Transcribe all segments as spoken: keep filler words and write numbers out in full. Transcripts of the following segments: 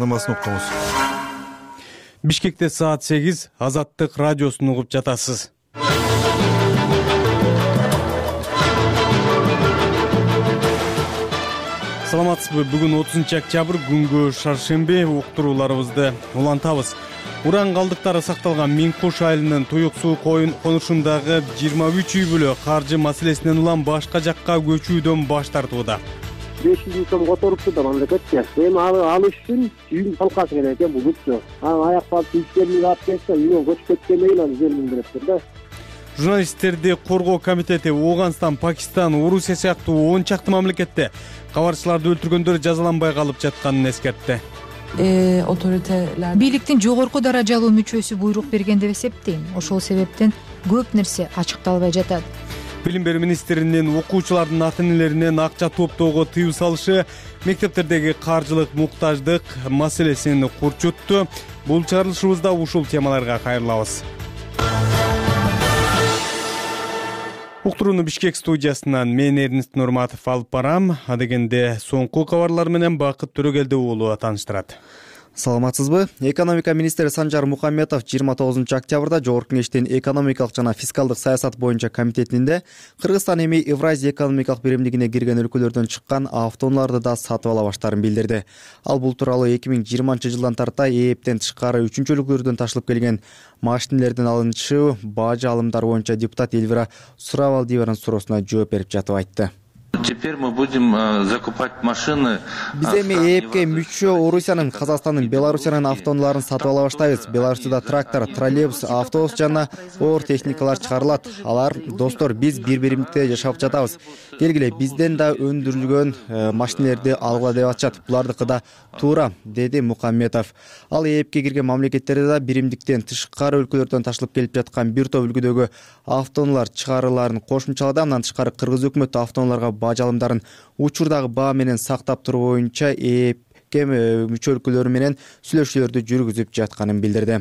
намасын окуңуз. Бишкекте саат сегиз, Азаттык радиосун угуп жатасыз. Саламатсызбы? Бүгүн отузунчу октябрь, күнгө шаршемби. Уктурууларыбызды улантабыз. Уран калдыктары сакталган Миңкуш айылынын Туюк суу конушундагы жыйырма үч үй бүлө каржы маселесинен улам башка жакка көчүүдөн баш тартууда. беш жүз миң сом которупту да мамлекетке. Эми алыш үчүн үйдүн талкасы керек экен булупчу. Анан аяк басып иштерин алып кетсе, үйгө көчүп кеткенден кийин аны жерлин бериптир да. Журналисттерди коргоо комитети Ооганстан, Пакистан, Орусия сыяктуу он чакты мамлекетте кабарчыларды өлтүргөндөр жазаланбай калып жатканын эскертти. Оторителер бийликтин жогорку даражалуу мүчөсү буйрук берген деп эсептейм. Ошол себептен көп нерсе ачыкталбай жатат. Билим берүү министринин окуучулардын ата-энелеринен акча топтоого тыюу салышы мектептердеги каржылык муктаждык маселесин курчутту. Бул чыгарылышыбызда ушул темаларга кайрылабыз. Уктурууну Бишкек студиясынан мен Эрнест Нурматов алып барам. Адегенде соңку кабарлар менен Бакыт Төрөгелди уулу тааныштырат. Саламатсызбы? Экономика министри Санжар Мухамметов жыйырма тогузунчу октябрда Жогорку Кеңештин экономикалык жана фискалдык саясат боюнча комитетинде Кыргызстан эми Евразия экономикалык биримдигине кирген өлкөлөрдөн чыккан автоунааларды да сатып ала баштаарын билдирди. Ал бул тууралуу эки миң жыйырманчы жылдан тарта ээптен тышкары үчүнчү өлкөлөрдөн ташылып келген машинелердин алынчы бажы алымдары боюнча депутат Эльвира Суравалдиеванын суроосуна жооп берип жатып айтты. Теперь мы будем закупать машины. Биз эми ээпке мүчө Орусиянын, Казакстандын, Белоруссиянын автоунааларын сатып ала баштайбыз. Беларусьта трактор, троллейбус, автобус жана оор техникалар чыгарылат. Алар, достор, биз бир биримдикте жашап жатабыз. Келгиле, бизден да өндүрүлгөн машинелерди алгыла деп атышат. Булардыкы да туура, деди Мухамметов. Ал ээпке кирген мамлекеттерде да биримдиктен тышкары өлкөлөрдөн ташылып келип жаткан бир топ үлгүдөгү автоунаалар чыгарылаарын кошумчалады. Андан тышкары Кыргыз өкмөтү автоунааларга бажы алымдарын учурдагы баа менен сактап туруу боюнча ээпке мүчө өлкөлөр менен сүйлөшүүлөрдү жүргүзүп жатканын билдирди.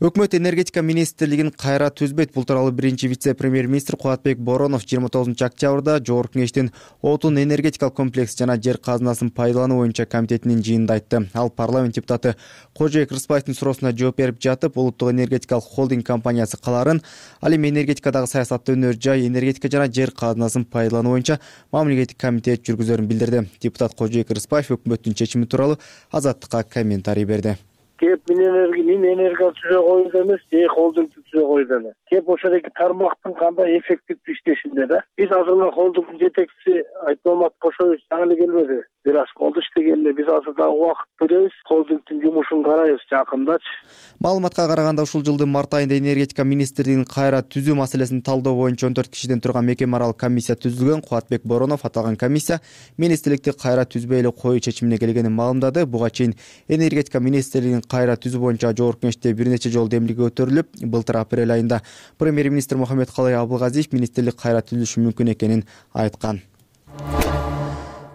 Өкмөт энергетика министрлигин кайра түзбөйт. Бул тууралуу биринчи вице-премьер-министр Кубатбек Боронов жыйырма тогузунчу октябрда Жогорку Кеңештин отун энергетикалык комплекс жана жер казынасын пайдалануу боюнча комитетинин жыйынында айтты. Ал парламент депутаты Кожоек Рыспаевдин суроосуна жооп берип жатып, улуттук энергетикалык холдинг компаниясы калаарын, ал эми энергетикадагы саясатты өнөр жай, энергетика жана жер казынасын пайдалануу боюнча мамлекеттик комитет жүргүзөрүн билдирди. Депутат Кожоек Рыспаев өкмөттүн чечими тууралуу Азаттыкка комментарий берди. Кеп мин энергия түзө коюуда эмес, же холдингди түзө коюуда эмес. Кеп ошол эки тармактын кандай эффективдүү иштешинде да. Биз азыркы холдингдин жетекчиси Айтмамат Кошоевич жаңы эле келбеди. Бир аз болду иштегенде, биз азыр дагы убакыт беребиз, холдингдин жумушун карайбыз жакындачы. Маалыматка караганда ушул жылдын март айында энергетика министрлигин кайра түзүү маселесин талдоо боюнча он төрт кишиден турган мекеме аралык комиссия түзүлгөн. Кубатбек Боронов аталган комиссия министрликти кайра түзбөй эле коюу чечимине келгенин маалымдады. Буга чейин энергетика министрлигин кайра түзүү боюнча Жогорку Кеңеште бир нече жолу демилге көтөрүлүп, былтыр апрель айында премьер-министр Мухаммедкалый Абылгазиев министрлик кайра түзүлүшү мүмкүн экенин айткан.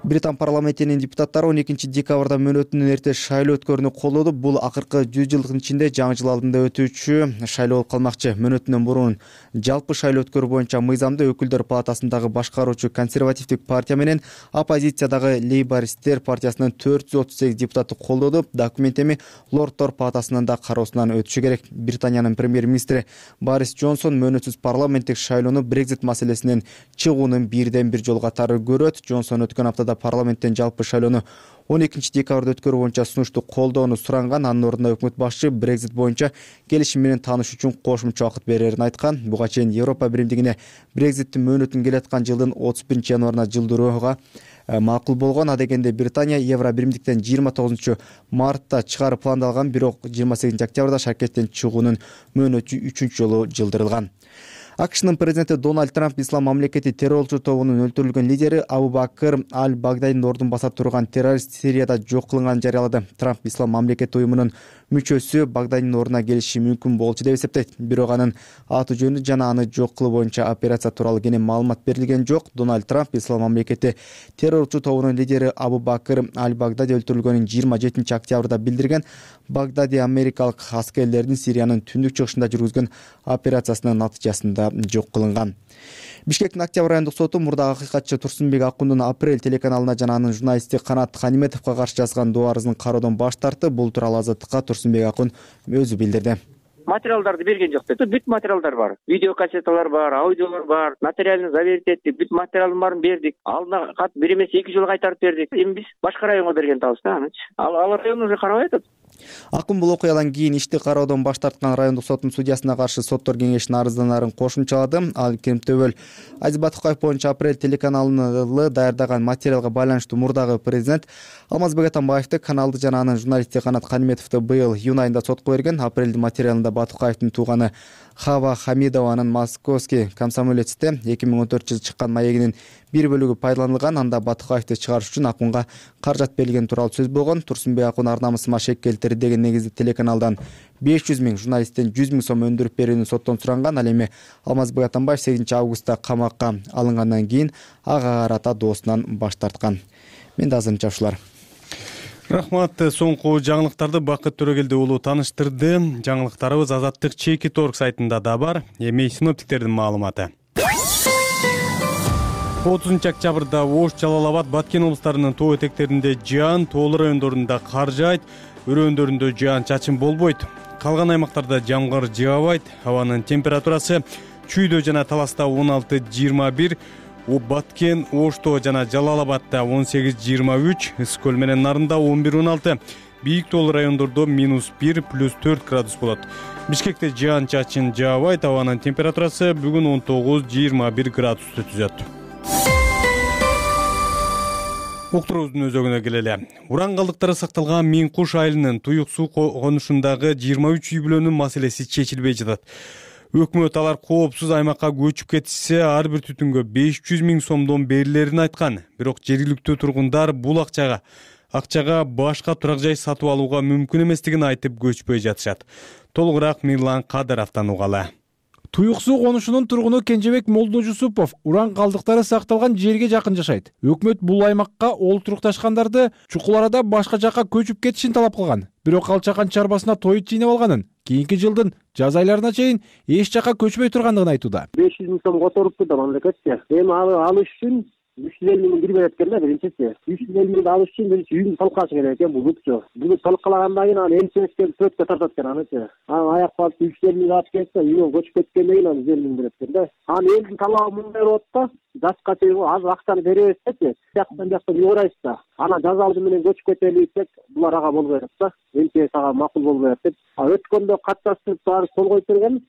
Британ парламентинин депутаттары он экинчи декабрда мөөнөтүнөн эрте шайлоо өткөрүүнү колдоду. Бул акыркы жүз жылдын ичинде жаңы жыл алдында өтүүчү шайлоо болуп калмакчы. Мөөнөтүнөн мурун жалпы шайлоо өткөрүү боюнча мыйзамды өкүлдөр палатасындагы башкаруучу консервативдик партия менен оппозициядагы лейбористтер партиясынын төрт жүз отуз сегиз депутаты колдоду. Документ эми лорддор палатасынын да кароосунан өтүшү керек. Британиянын премьер-министри Борис Джонсон мөөнөтсүз парламенттик шайлоону Брекзит маселесинен чыгуунун бирден бир жолу катары көрөт. Джонсон өткөн аптада парламенттен жалпы шайлоону он экинчи декабрда өткөрүү боюнча сунушту колдоону суранган. Анын ордуна өкмөт башчы Брекзит боюнча келишим менен таанышуу үчүн кошумча убакыт берерин айткан. Буга чейин Европа биримдигине Брекзиттин мөөнөтүн келаткан жылдын отуз биринчи январына жылдырууга макул болгон. Адегенде Британия Евро биримдиктен жыйырма тогузунчу мартта чыгаруу пландалган, бирок жыйырма сегизинчи октябрда шаркеттен чыгуунун мөөнөтү үчүнчү жолу жылдырылган. АКШнын президенти Дональд Трамп ислам мамлекети террорчу тобунун өлтүрүлгөн лидери Абу Бакыр Аль-Багдадинин ордун баса турган террорист Сирияда жок кылынганын жарыялады. Трамп ислам мамлекети уюмунун мүчөсү Багдадинин ордуна келиши мүмкүн болчу деп эсептейт. Бирок анын аты жөнү жана аны жок кылуу боюнча операция тууралуу кенен маалымат берилген жок. Дональд Трамп Ислам мамлекети террорчу тобунун лидери Абу Бакыр аль-Багдади өлтүрүлгөнүн жыйырма жетинчи октябрда билдирген. Багдади америкалык аскерлердин Сириянын түндүк чыгышында жүргүзгөн операциясынын натыйжасында жок кылынган. Бишкектин Октябрь айындык соту мурдагы акыйкатчы Турсунбек Акундун Апрель телеканалына жана анын журналисти Канат Ханиметовго каршы жазган доо арызын кароодон баш тартты. Бул тууралуу Азаттыкка Турсунбек Акун өзү билдирди. Материалдарды берген жок деп. Бүт материалдар бар. Видео кассеталар бар, аудиолор бар, нотариально заверить эттик, бүт материалдын баарын бердик. Алдына кат бир эмес эки жолу кайтарып бердик. Эми биз башка районго берген атабыз да анычы. Ал ал район уже карабай атат. Акун бул окуядан кийин ишти кароодон баш тарткан райондук соттун судьясына каршы соттор кеңешинин арызданарын кошумчалады. Ал Кемтөбөл Азиз Батукаев боюнча Апрель телеканалы даярдаган материалга байланыштуу мурдагы президент Алмазбек Атамбаевди, каналды жана анын журналисти Канат Ханиметовду быйыл июнь айында сотко берген. Апрелдин материалында Батукаевдин тууганы Хава Хамидованын Московский комсомолецте эки миң он төртүнчү жылы чыккан маегинин бир бөлүгү пайдаланылган. Анда Батукаевди чыгарыш үчүн Акунга каражат берилген тууралуу сөз болгон. Турсунбек Акун ар намысыма шек келтирди деген негизде телеканалдан беш жүз миң, журналисттен жүз миң сом өндүрүп берүүнү соттон суранган. Ал эми Алмазбек Атамбаев сегизинчи августта камакка алынгандан кийин ага карата доосунан баш тарткан. Менде азырынча ушулар. Рахмат. Соңку жаңылыктарды Бакыт Төрөгелди уулу тааныштырды. Жаңылыктарыбыз Азаттык Чеки Торг сайтында да бар. Эми синоптиктердин маалыматы. отузунчу октябрда Ош, Жалал Абад, Баткен облустарынын тоо этектеринде жаан, тоолуу райондорунда кар жаайт, өрөөндөрүндө жаан чачын болбойт. Калган аймактарда жамгыр жаабайт. Абанын температурасы Чүйдө жана Таласта он алты жыйырма бир, Баткен, Ошто жана Жалал Абадта он сегиз жыйырма үч, Ысык көл менен Нарында он бир он алты, бийик тоолуу райондордо минус бир, плюс төрт градус болот. Бишкекте жаан чачын жаабайт. Абанын температурасы бүгүн он тогуз жыйырма бир градусту түзөт. Уктуруубуздун өзөгүнө келели. Уран калдыктары сакталган Миң Куш айылынын Туюк суу конушундагы жыйырма үч үй бүлөнүн маселеси чечилбей жатат. Өкмөт алар коопсуз аймакка көчүп кетишсе, ар бир түтүнгө беш жүз миң сомдон берилерин айткан. Бирок жергиликтүү тургундар бул акчага акчага башка турак жай сатып алууга мүмкүн эместигин айтып көчпөй жатышат. Толугураак Мирлан Кадыровдон угалы. Туюк суу конушунун тургуну Кенжебек Молдожусупов уран калдыктары сакталган жерге жакын жашайт. Өкмөт бул аймакка олтурукташкандарды чукул арада башка жакка көчүп кетишин талап кылган. Бирок ал чакан чарбасына тоют жыйнап алганын, кийинки жылдын жаз айларына чейин эч жакка көчпөй тургандыгын айтууда. беш жүз миң сом которупту да мамлекетке. Эми алыш үчүн үч жүз элүү миң бербей экен да биринчиси. үч жүз элүү миң алыш үчүн биринчи үйдүн талкалашы керек экен бул үчөө. Буну талкалагандан кийин аны элчиликке сөткө тартат экен анычы. Аны аяк басып үч жүз элүү миң алып кетсе, үйгө көчүп кеткенден кийин аны жүз элүү миң берет экен да. Аны элдин талабы мындай болот да, жашка чейин аз акчаны беребиз депчи. Жактан жактан юурайбыз да. Ана жаз алды менен көчүп кетели десек, булар ага болбой атат да. Элчи сага макул болбой атат деп. А өткөндө катташтырып баары кол коюп берген.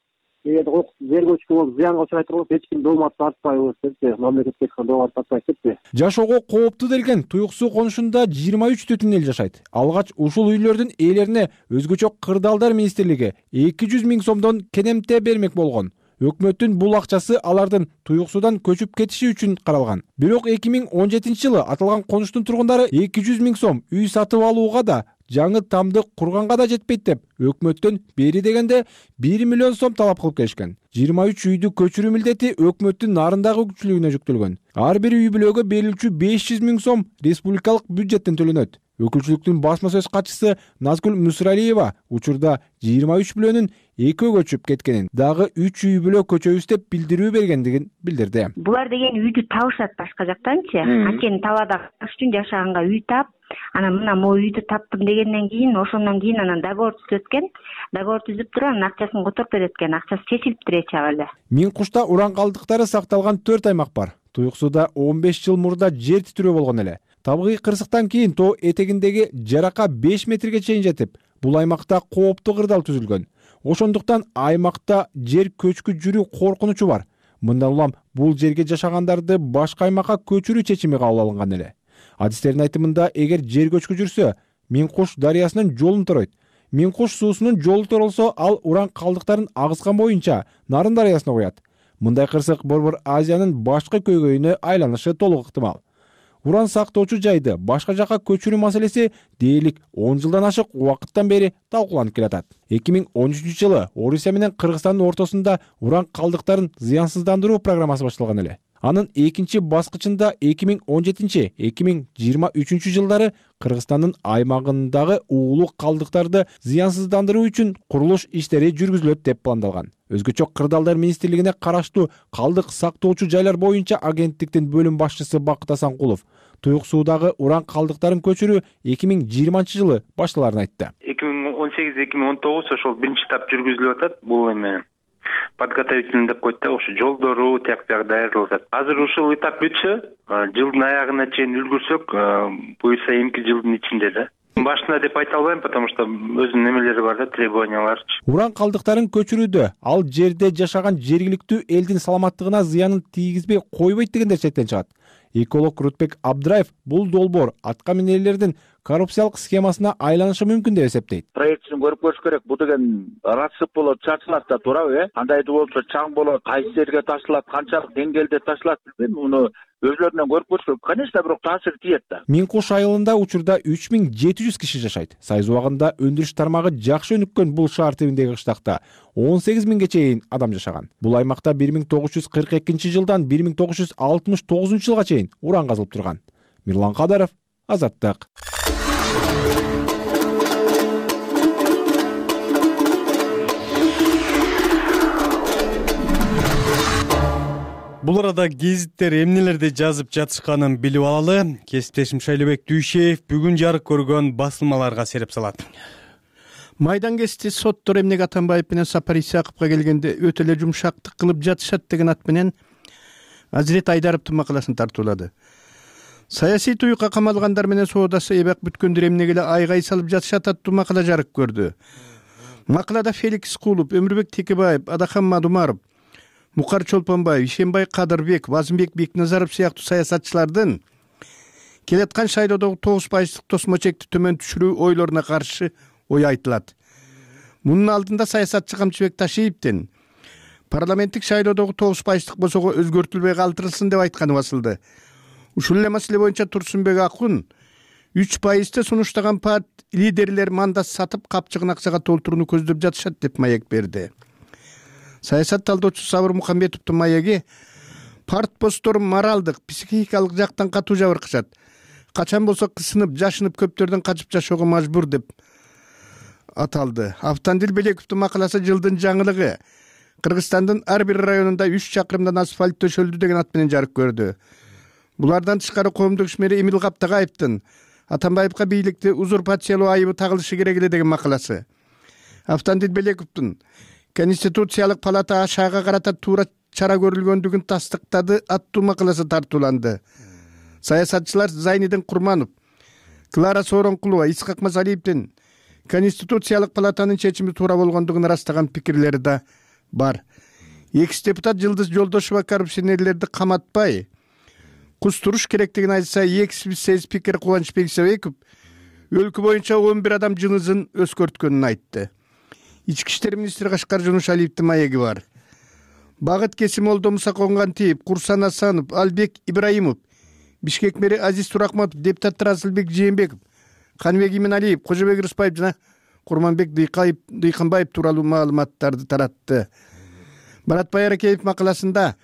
Эгер жер көчкү болуп зыянга учурайт болсо эч ким доомат тартпайбыз депчи, мамлекетке доомат тартпайт депчи. Жашоого кооптуу делген Туюк суу конушунда жыйырма үч түтүн эл жашайт. Алгач ушул үйлөрдүн ээлерине өзгөчө кырдаалдар министрлиги эки жүз миң сомдон кенемте бермек болгон. Өкмөттүн бул акчасы алардын Туюк суудан көчүп кетиши үчүн каралган. Бирок эки миң он жетинчи жылы аталган конуштун тургундары эки жүз миң сом үй сатып алууга да, жаңы тамды курганга да жетпейт деп өкмөттөн бери дегенде бир миллион сом талап кылып келишкен. жыйырма үч үйдү көчүрүү милдети өкмөттүн нарындагы күчүлүгүнө жүктөлгөн. Ар бир үй бүлөгө берилүүчү беш жүз миң сом республикалык бюджеттен төлөнөт. Өкүлчүлүктүн басма сөз катчысы Назгүл Мусралиева учурда жыйырма үч бүлөнүн экөө көчүп кеткенин, дагы үч үй бүлө көчөбүз деп билдирүү бергендигин билдирди. Булар деген үйдү табышат башка жактанчы. Анткени талаада кыш үчүн жашаганга үй тап, анан мына могу үйдү таптым дегенден кийин, ошондон кийин анан договор түзөткөн. Договор түзүп туруп анан акчасын которуп берет экен. Акчасы чечилиптир эч эле. Миң Кушта уран калдыктары сакталган төрт аймак бар. Туюк сууда он беш жыл мурда жер титирөө болгон эле. Табыгый кырсыктан кийин тоо этегиндеги жарака беш метрге чейин жетип, бул аймакта кооптуу кырдаал түзүлгөн. Ошондуктан аймакта жер көчкү жүрүү коркунучу бар. Мындан улам бул жерге жашагандарды башка аймакка көчүрүү чечими кабыл алынган эле. Адистердин айтымында, эгер жер көчкү жүрсө, Миң Куш дарыясынын жолун торойт. Миң Куш суусунун жолу торолсо, ал уран калдыктарын агызган боюнча Нарын дарыясына куят. Мындай кырсык Борбор Азиянын башкы көйгөйүнө айланышы толук ыктымал. уран сактоочу жайды башка жакка көчүрүү маселеси дээрлик он жылдан ашык убакыттан бери талкууланып келатат. эки миң он үчүнчү жылы Орусия менен Кыргызстандын ортосунда уран калдыктарын зыянсыздандыруу программасы башталган эле. Анын экинчи баскычында эки миң он жетинчи — эки миң жыйырма үчүнчү жылдары Кыргызстандын аймагындагы уулук калдыктарды зыянсыздандыруу үчүн курулуш иштери жүргүзүлөт деп пландалган. Өзгөчө Кырдаалдар министрлигине караштуу калдык сактоочу жайлар боюнча агенттиктин бөлүм башчысы Бакыт Асанкулов туюк суудагы уран калдыктарын көчүрүү эки миң жыйырманчы жылы башталарын айтты. эки миң он сегиз — эки миң он тогуз ошол биринчи этап жүргүзүлүп атат. Бул эме подготовительный деп коет да, ошо жолдору тияк бияк даярдалып атат. Азыр ушул этап бүтсө, жылдын аягына чейин үлгүрсөк, буюрса эмки жылдын ичинде да. Башында деп айта албайм, потому что өзүнүн немелери бар да, требованиялары. Уран калдыктарын көчүрүүдө ал жерде жашаган жергиликтүү элдин саламаттыгына зыянын тийгизбей койбойт дегендер чектен чыгат. Эколог Рутбек Абдраев бул долбоор атка минерлердин коррупциялык схемасына айланышы мүмкүн деп эсептейт. Проектин көрүп көрүш керек. Бул деген расып болот, чачылат да, туурабы, э? Кандайдуу болсо чаң болот, кайсы жерге ташылат, канчалык деңгээлде ташылат билбейм. Муну өзлөрүнөн көрүп көрүш керек. Конечно, бирок таасир тиет да. Миң Куш айылында учурда үч миң жети жүз киши жашайт. Сайыз убагында өндүрүш тармагы жакшы өнүккөн бул шаар тибиндеги кыштакта он сегиз миңге чейин адам жашаган. Бул аймакта бир миң тогуз жүз кырк экинчи жылдан бир миң тогуз жүз алтымыш тогузунчу жылга чейин уран казылып турган. Мирлан Кадаров, Азаттык. Бул арада гезиттер эмнелерди жазып жатышканын билип алалы. Кесиптешим Шайлебек Дүйшеев бүгүн жарык көргөн басылмаларга сереп салат. Майдан кести соттор Эмнеге Атамбаев менен Сапар Исаковго келгенде өтө эле жумшактык кылып жатышат деген ат менен Азирет Айдаровдун макаласын тартуулады. Саясий туюкка камалгандар менен соодасы эбак бүткөндөр эмнеге эле айгай салып жатышат аттуу макала жарык көрдү. Макалада Феликс Кулуп, Өмүрбек Текебаев, Адахан Мадумаров, Мукар Чолпонбаев, Ишенбай Кадырбек, Базымбек Бекназаров сыяктуу саясатчылардын келаткан шайлоодогу тогуз пайыздык тосмо чекти төмөн түшүрүү ойлоруна каршы ой айтылат. Мунун алдында саясатчы Камчыбек Ташиевдин парламенттик шайлоодогу тогуз пайыздык босого өзгөртүлбөй калтырылсын деп айтканы басылды. Ушул эле маселе боюнча Турсунбек Акун үч пайызды сунуштаган партия лидерлер мандат сатып капчыгын акчага толтурууну көздөп жатышат деп маек берди. Саясат талдоочу Сабыр Мухамбетовдун маеги партбостор моралдык, психикалык жактан катуу жабыркышат. Качан болсо кысынып, жашынып көптөрдөн качып жашоого мажбур деп аталды. Автандил Белековдун макаласы жылдын жаңылыгы. Кыргызстандын ар бир районунда үч чакырымдан асфальт төшөлдү деген ат менен жарык көрдү. Булардан тышкары коомдук ишмери Эмил Каптагаевдин Атамбаевка бийликти узурпациялоо айыбы тагылышы керек эле деген макаласы. Автандил Белековдун Конституциялык палата ашаага карата туура чара көрүлгөндүгүн тастыктады аттуу макаласы тартууланды. Саясатчылар Зайнидин Курманов, Клара Сооронкулова, Исхак Мазалиевдин Конституциялык палатанын чечими туура болгондугун ырастаган пикирлери да бар. Экс депутат Жылдыз Жолдошова коррупционерлерди каматпай кустуруш керектигин айтса, экс спикер Кубанычбек Исабеков өлкө боюнча он бир адам жынызын өскөрткөнүн айтты. Ички иштер министри Кашкар Жунушалиевдин маеги бар. Багыт Кесимолдо Мусаконгантиев, Курсан Асанов, Албек Ибраимов, Бишкек мэри Азиз Турахматов, депутаттар Асылбек Жээнбеков, Каныбек Иминалиев, Кожобек Рыспаев жана Курманбек Дыйканбаев тууралуу маалыматтарды таратты. Барат Байракеев макаласында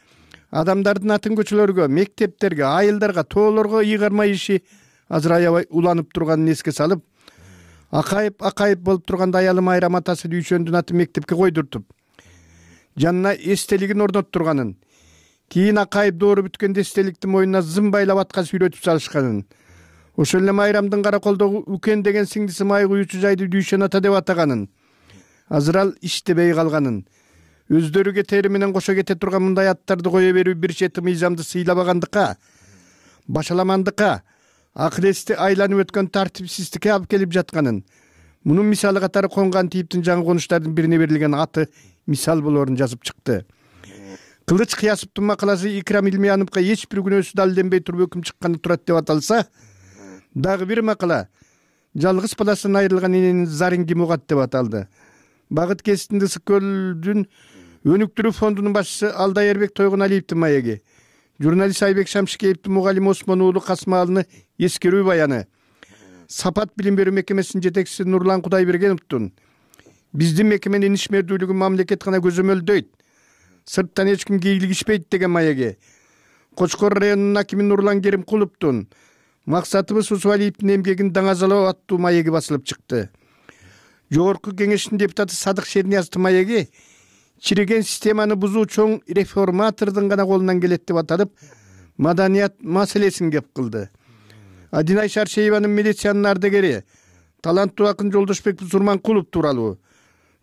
адамдардын атын көчөлөргө, мектептерге, айылдарга, тоолорго ыйгарма иши азыр аябай уланып турганын эске салып, Акаев Акаев болуп турганда аялым Айрам атасы Дүйшөндүн атын мектепке койдуртуп, жанына эстелигин орноттурганын, кийин Акаев доору бүткөндө эстеликти мойнуна зым байлап атка сүйрөтүп салышканын, ошол эле Майрамдын Караколдогу Үкен деген сиңдиси май куюучу жайды Дүйшөн ата деп атаганын, азыр ал иштебей калганын, өздөрү кетери менен кошо кете турган мындай аттарды кое берүү бир чети мыйзамды сыйлабагандыкка, башаламандыкка, акыл эсти айланып өткөн тартипсиздикке алып келип жатканын, мунун мисалы катары Конгантиевдин жаңы конуштардын бирине берилген аты мисал болоорун жазып чыкты. Кылыч Кыясовдун макаласы Икрам Илмияновго эч бир күнөөсү далилденбей туруп өкүм чыкканы турат деп аталса, дагы бир макала жалгыз баласынан айрылган эненин зарын ким угат деп аталды. Багыт Кесиптин Ысык көлдүн өнүктүрүү фондунун башчысы Алдай Эрбек Тойгоналиевдин маеги Журналист Айбек Шамшикеевдин мугалими Осмон уулу Касымалыны эскерүү баяны. Сапат билим берүү мекемесинин жетекчиси Нурлан Кудайбергеновдун биздин мекеменин ишмердүүлүгүн мамлекет гана көзөмөлдөйт, сырттан эч ким кийлигишпейт деген маеги. Кочкор районунун акими Нурлан Керимкуловдун максатыбыз Усубалиевдин эмгегин даңазалоо аттуу маеги басылып чыкты. Жогорку кеңештин депутаты Садык Шернияздын маеги чиреген системаны бузуу чоң реформатордун гана колунан келет деп аталып, маданият маселесин кеп кылды. Адинай Шаршееванын милициянын ардагери, таланттуу акын Жолдошбек Сурманкулов тууралуу,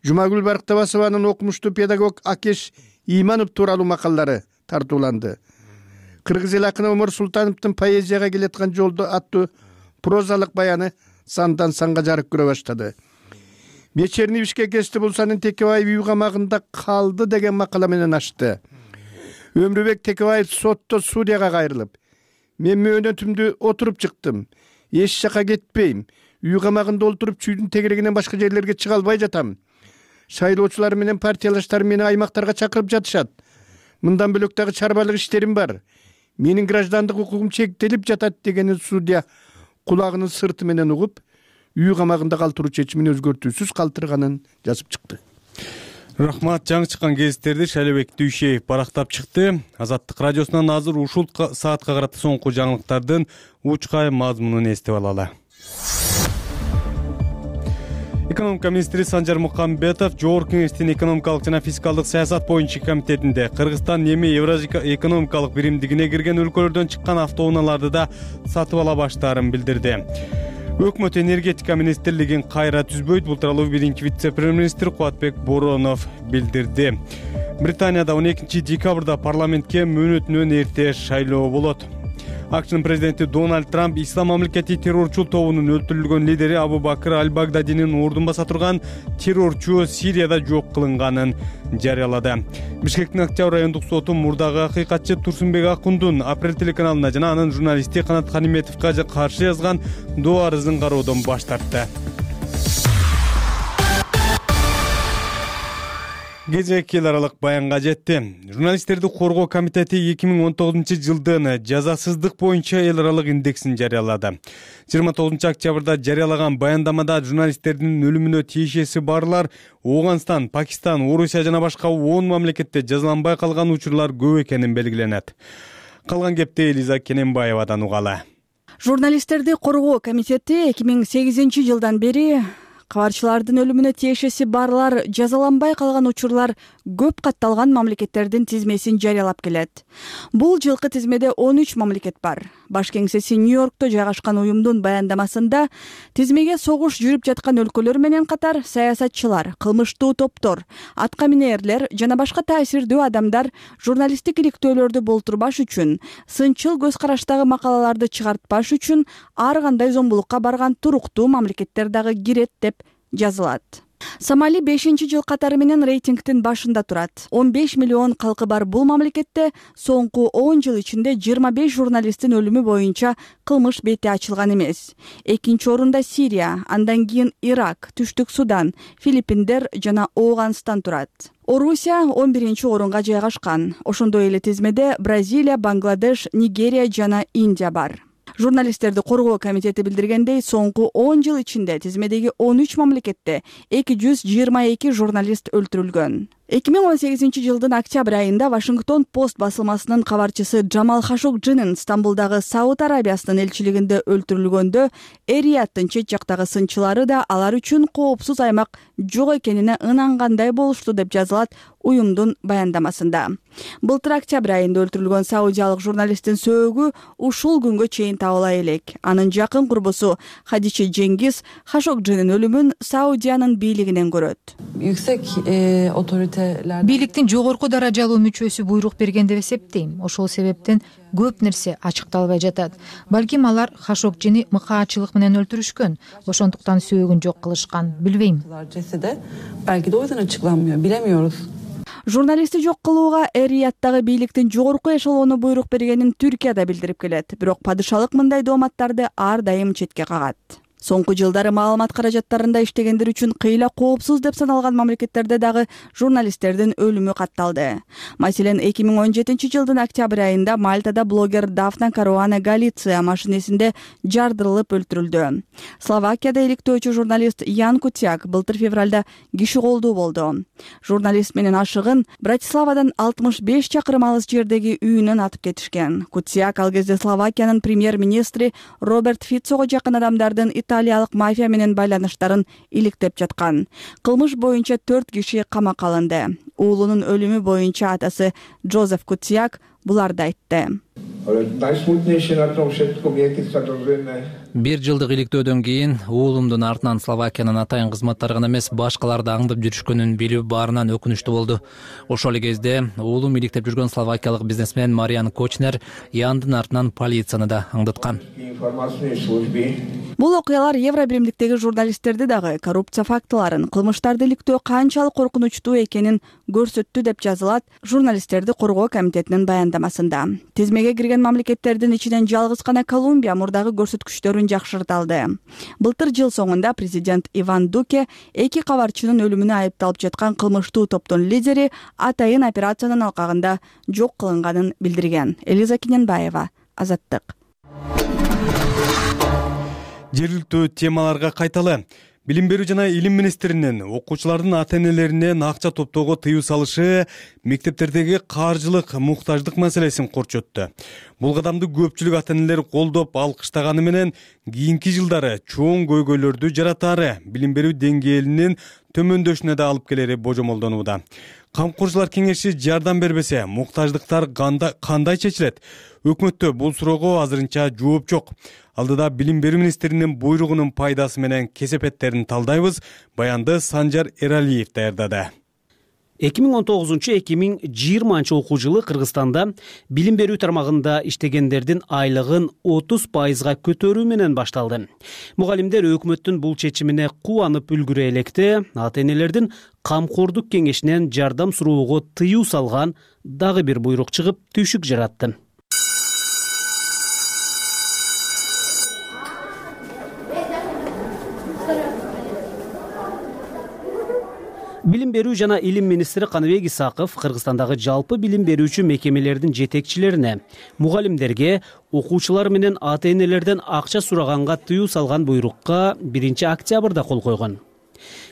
Жумагүл Барктабасованын окумуштуу педагог Акеш Иманов тууралуу макаллары тартууланды. Кыргыз эл акыны Омар Султановдун поэзияга келаткан жолдо аттуу прозалык баяны сандан санга жарык көрө баштады. Вечерний Бишкек Эстебулсанын Текебаев үй камагында калды деген макала менен ачты. Өмүрбек Текебаев сотто судьяга кайрылып, мен мөөнөтүмдү отуруп чыктым, эч жака кетпейм, үй камагында олтуруп чүйдүн тегерегинен башка жерлерге чыга албай жатам. Шайлоочулар менен партиялаштар мени аймактарга чакырып жатышат. Мындан бөлөк дагы чарбалык иштерим бар. Менин граждандык укугум чектелип жатат дегенин судья кулагынын сырты менен угуп, үй камагында калтыруу чечимин өзгөртүүсүз калтырганын жазып чыкты. Рахмат. Жаңы чыккан гезиттерди Шайлообек Дүйшеев барактап чыкты. Азаттык радиосунан азыр ушул саатка карата соңку жаңылыктардын учкай мазмунун эстеп алалы. Экономика министри Санжар Мукамбетов Жогорку кеңештин экономикалык жана фискалдык саясат боюнча комитетинде Кыргызстан эми Евразия экономикалык биримдигине кирген өлкөлөрдөн чыккан автоунааларды да сатып ала баштаарын билдирди. Өкмөт энергетика министрлигин кайра түзбөйт, бул тууралуу биринчи вице-премьер-министр Кубатбек Боронов билдирди. Британияда он экинчи декабрда парламентке мөөнөтүнөн эрте шайлоо болот. АКШнын президенти Дональд Трамп Ислам мамлекети террорчул тобунун өлтүрүлгөн лидери Абу Бакыр Аль-Багдадинин ордун баса турган террорчу Сирияда жок кылынганын жарыялады. Бишкектин Октябрь райондук соту мурдагы акыйкатчы Турсунбек Акундун Апрель телеканалына жана анын журналисти Канат Каниметовго каршы жазган доо арызын кароодон баш тартты. Кезек эл аралык баянга жетти. Журналисттерди коргоо комитети эки миң он тогузунчу жылдын жазасыздык боюнча эл аралык индексин жарыялады. жыйырма тогузунчу октябрда жарыялаган баяндамада журналисттердин өлүмүнө тиешеси барлар Ооганстан, Пакистан, Орусия жана башка он мамлекетте жазаланбай калган учурлар көп экенин белгиленет. Калган кепти Элиза Кененбаевадан угалы. Журналисттерди коргоо комитети эки миң сегизинчи жылдан бери кабарчылардын өлүмүнө тиешеси барлар жазаланбай калган учурлар көп катталган мамлекеттердин тизмесин жарыялап келет. Бул жылкы тизмеде он үч мамлекет бар. Баш кеңсеси Нью-Йоркто жайгашкан уюмдун баяндамасында тизмеге согуш жүрүп жаткан өлкөлөр менен катар саясатчылар, кылмыштуу топтор, атка минээрлер жана башка таасирдүү адамдар журналисттик иликтөөлөрдү болтурбаш үчүн, сынчыл көз караштагы макалаларды чыгартпаш үчүн ар кандай зомбулукка барган туруктуу мамлекеттер дагы кирет деп жазылат. Сомали бешинчи жыл катары менен рейтингдин башында турат. он беш миллион калкы бар бул мамлекетте соңку он жыл ичинде жыйырма беш журналисттин өлүмү боюнча кылмыш бети ачылган эмес. Экинчи орунда Сирия, андан кийин Ирак, Түштүк Судан, Филиппиндер жана Ооганстан турат. Орусия он биринчи орунга жайгашкан. Ошондой эле тизмеде Бразилия, Бангладеш, Нигерия жана Индия бар. Журналисттерди коргоо комитети билдиргендей, соңку он жыл ичинде тизмедеги он үч мамлекетте эки жүз жыйырма эки журналист өлтүрүлгөн. эки миң он сегизинчи жылдын октябрь айында Вашингтон Пост басылмасынын кабарчысы Джамал Хашогджинин Стамбулдагы Сауд Арабиясынын элчилигинде өлтүрүлгөндө Эр-Рияттын чет жактагы сынчылары да алар үчүн коопсуз аймак жок экенине ынангандай болушту деп жазылат уюмдун баяндамасында. Былтыр октябрь айында өлтүрүлгөн саудиялык журналисттин сөөгү ушул күнгө чейин табыла элек. Анын жакын курбусу Хадиче Жеңгиз Хашогджинин өлүмүн Саудиянын бийлигинен көрөт. Yüksek e, otoriteler бийликтин жогорку даражалуу мүчөсү буйрук берген деп эсептейм. Ошол себептен көп нерсе ачыкталбай жатат. Балким алар Хашогджини мыкаачылык менен өлтүрүшкөн, ошондуктан сөөгүн жок кылышкан, билбейм. cesede belki de o yüzden açıklanmıyor. Bilemiyoruz. Журналистти жок кылууга Эр-Рияттагы бийликтин жогорку эшелону буйрук бергенин Түркия да билдирип келет. Бирок падышалык мындай дооматтарды ар дайым четке кагат. Соңку жылдары маалымат каражаттарында иштегендер үчүн кыйла коопсуз деп саналган мамлекеттерде дагы журналисттердин өлүмү катталды. Маселен, эки миң он жетинчи жылдын октябрь айында Мальтада блогер Дафна Каруана Галиция машинесинде жардырылып өлтүрүлдү. Словакияда иликтөөчү журналист Ян Кутяк былтыр февралда киши колдуу болду. Журналист менен ашыгын Братиславадан алтымыш беш чакырым алыс жердеги үйүнөн атып кетишкен. Кутяк ал кезде Словакиянын премьер-министри Роберт Фицого жакын адамдардын италиялык мафия менен байланыштарын иликтеп жаткан. Кылмыш боюнча төрт киши камакка алынды. Уулунун өлүмү боюнча атасы Джозеф Кутяк буларды айтты. Бир жылдык иликтөөдөн кийин уулумдун артынан Словакиянын атайын кызматтары гана эмес, башкаларды аңдып жүрүшкөнүн билүү баарынан өкүнүчтүү болду. Ошол эле кезде уулум иликтеп жүргөн словакиялык бизнесмен Мариан Кочнер Яндын артынан полицияны да аңдыткан. Бул окуялар Евро биримдиктеги журналисттерди дагы коррупция фактыларын, кылмыштарды иликтөө канчалык коркунучтуу экенин көрсөттү деп жазылат журналисттерди коргоо комитетинин баяндамасында. Тизмеге кирген мамлекеттердин ичинен жалгыз гана Колумбия мурдагы көрсөткүчтөрүн жакшырталды. Былтыр жыл соңунда президент Иван Дуке эки кабарчынын өлүмүнө айыпталып жаткан кылмыштуу топтун лидери атайын операциянын алкагында жок кылынганын билдирген. Элиза Киненбаева, Азаттык. Жергиликтүү темаларга кайталы. Билим берүү жана илим министринин окуучулардын ата-энелеринен акча топтоого тыюу салышы мектептердеги каржылык муктаждык маселесин корчотту. Бул кадамды көпчүлүк ата-энелер колдоп алкыштаганы менен кийинки жылдары чоң көйгөйлөрдү жаратаары, билим берүү деңгээлинин төмөндөшүнө да алып келери божомолдонууда. Камкорчулар кеңеши жардам бербесе, муктаждыктар кандай чечилет? Өкмөттө бул суроого азырынча жооп жок. Алдыда билим берүү министринин буйругунун пайдасы менен кесепеттерин талдайбыз. Баянды Санжар Эралиев даярдады. эки миң он тогузунчу — эки миң жыйырманчы окуу жылы Кыргызстанда билим берүү тармагында иштегендердин айлыгын отуз пайызга көтөрүү менен башталды. Мугалимдер өкмөттүн бул чечимине кубанып үлгүрө электе, ата-энелердин камкордук кеңешинен жардам суроого тыюу салган дагы бир буйрук чыгып түйшүк жаратты. Билим берүү жана илим министри Каныбек Исаков Кыргызстандагы жалпы билим берүүчү мекемелердин жетекчилерине, мугалимдерге, окуучулар менен ата-энелерден акча сураганга тыюу салган буйрукка биринчи октябрда кол койгон.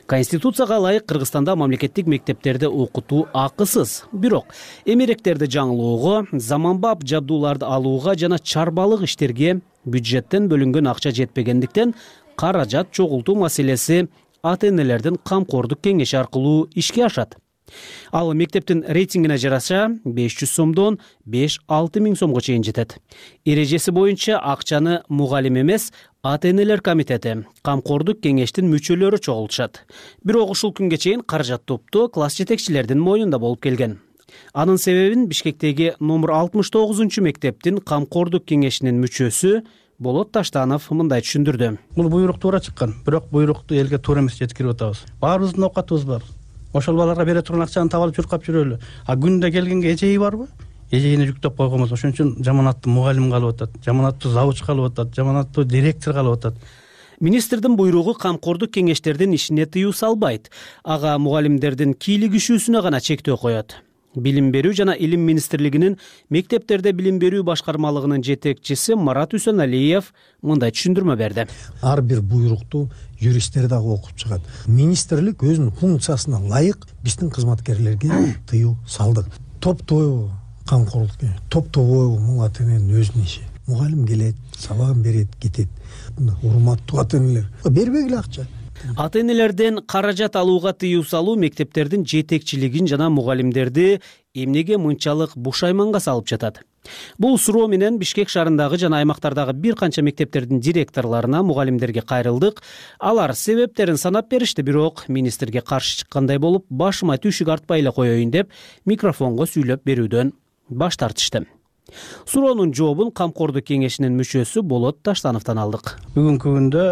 Конституцияга ылайык Кыргызстанда мамлекеттик мектептерде окутуу акысыз. Бирок эмеректерди жаңылоого, заманбап жабдууларды алууга жана чарбалык иштерге бюджеттен бөлүнгөн акча жетпегендиктен каражат чогултуу маселеси ата-энелердин камкордук кеңеши аркылуу ишке ашат. Ал мектептин рейтингине жараша беш жүз сомдон беш алты миң сомго чейин жетет. Эрежеси боюнча акчаны мугалим эмес, ата-энелер комитети, камкордук кеңештин мүчөлөрү чогултушат. Бирок ушул күнгө чейин каражат топту класс жетекчилердин мойнунда болуп келген. Анын себебин Бишкектеги номер алтымыш тогузунчу мектептин камкордук кеңешинин мүчөсү Болот Таштанов мындай түшүндүрдү. Бул буйрук туура чыккан, бирок буйрукту элге туура эмес жеткирип атабыз. Баарыбыздын оокатыбыз бар. Ошол баларга бере турган акчаны таап алып чуркап жүрөлү. А күндө келгенге эжеи барбы? Эжейине жүктөп койгонбуз. Ошон үчүн жаманаттуу мугалим калып атат, жаманаттуу завуч калып атат, жаманаттуу директор калып атат. Министрдин буйругу камкордук кеңештердин ишине тыюу салбайт. Ага мугалимдердин кийлигишүүсүнө гана чектөө коет. Билим берүү жана илим министрлигинин мектептерде билим берүү башкармалыгынын жетекчиси Марат Үсөналиев мындай түшүндүрмө берди. Ар бир буйрукту юристтер дагы окуп чыгат. Министрлик өзүнүн функциясына ылайык биздин кызматкерлерге тыюу салдык. Топтойбу камкорлук, топтобойбу бул ата-эненин өзүнүн иши. Мугалим келет, сабагын берет, кетет. Урматтуу ата-энелер бербегиле акча. Ата-энелерден каражат алууга тыюу салуу мектептердин жетекчилигин жана мугалимдерди эмнеге мынчалык бушайманга салып жатат? Бул суроо менен Бишкек шаарындагы жана аймактардагы бир канча мектептердин директорлоруна, мугалимдерге кайрылдык. Алар себептерин санап беришти, бирок министрге каршы чыккандай болуп, башыма түйшүк артпай эле коеюн деп микрофонго сүйлөп берүүдөн баш тартышты. Суроонун жообун камкордук кеңешинин мүчөсү Болот Таштановдон алдык. Бүгүнкү күндө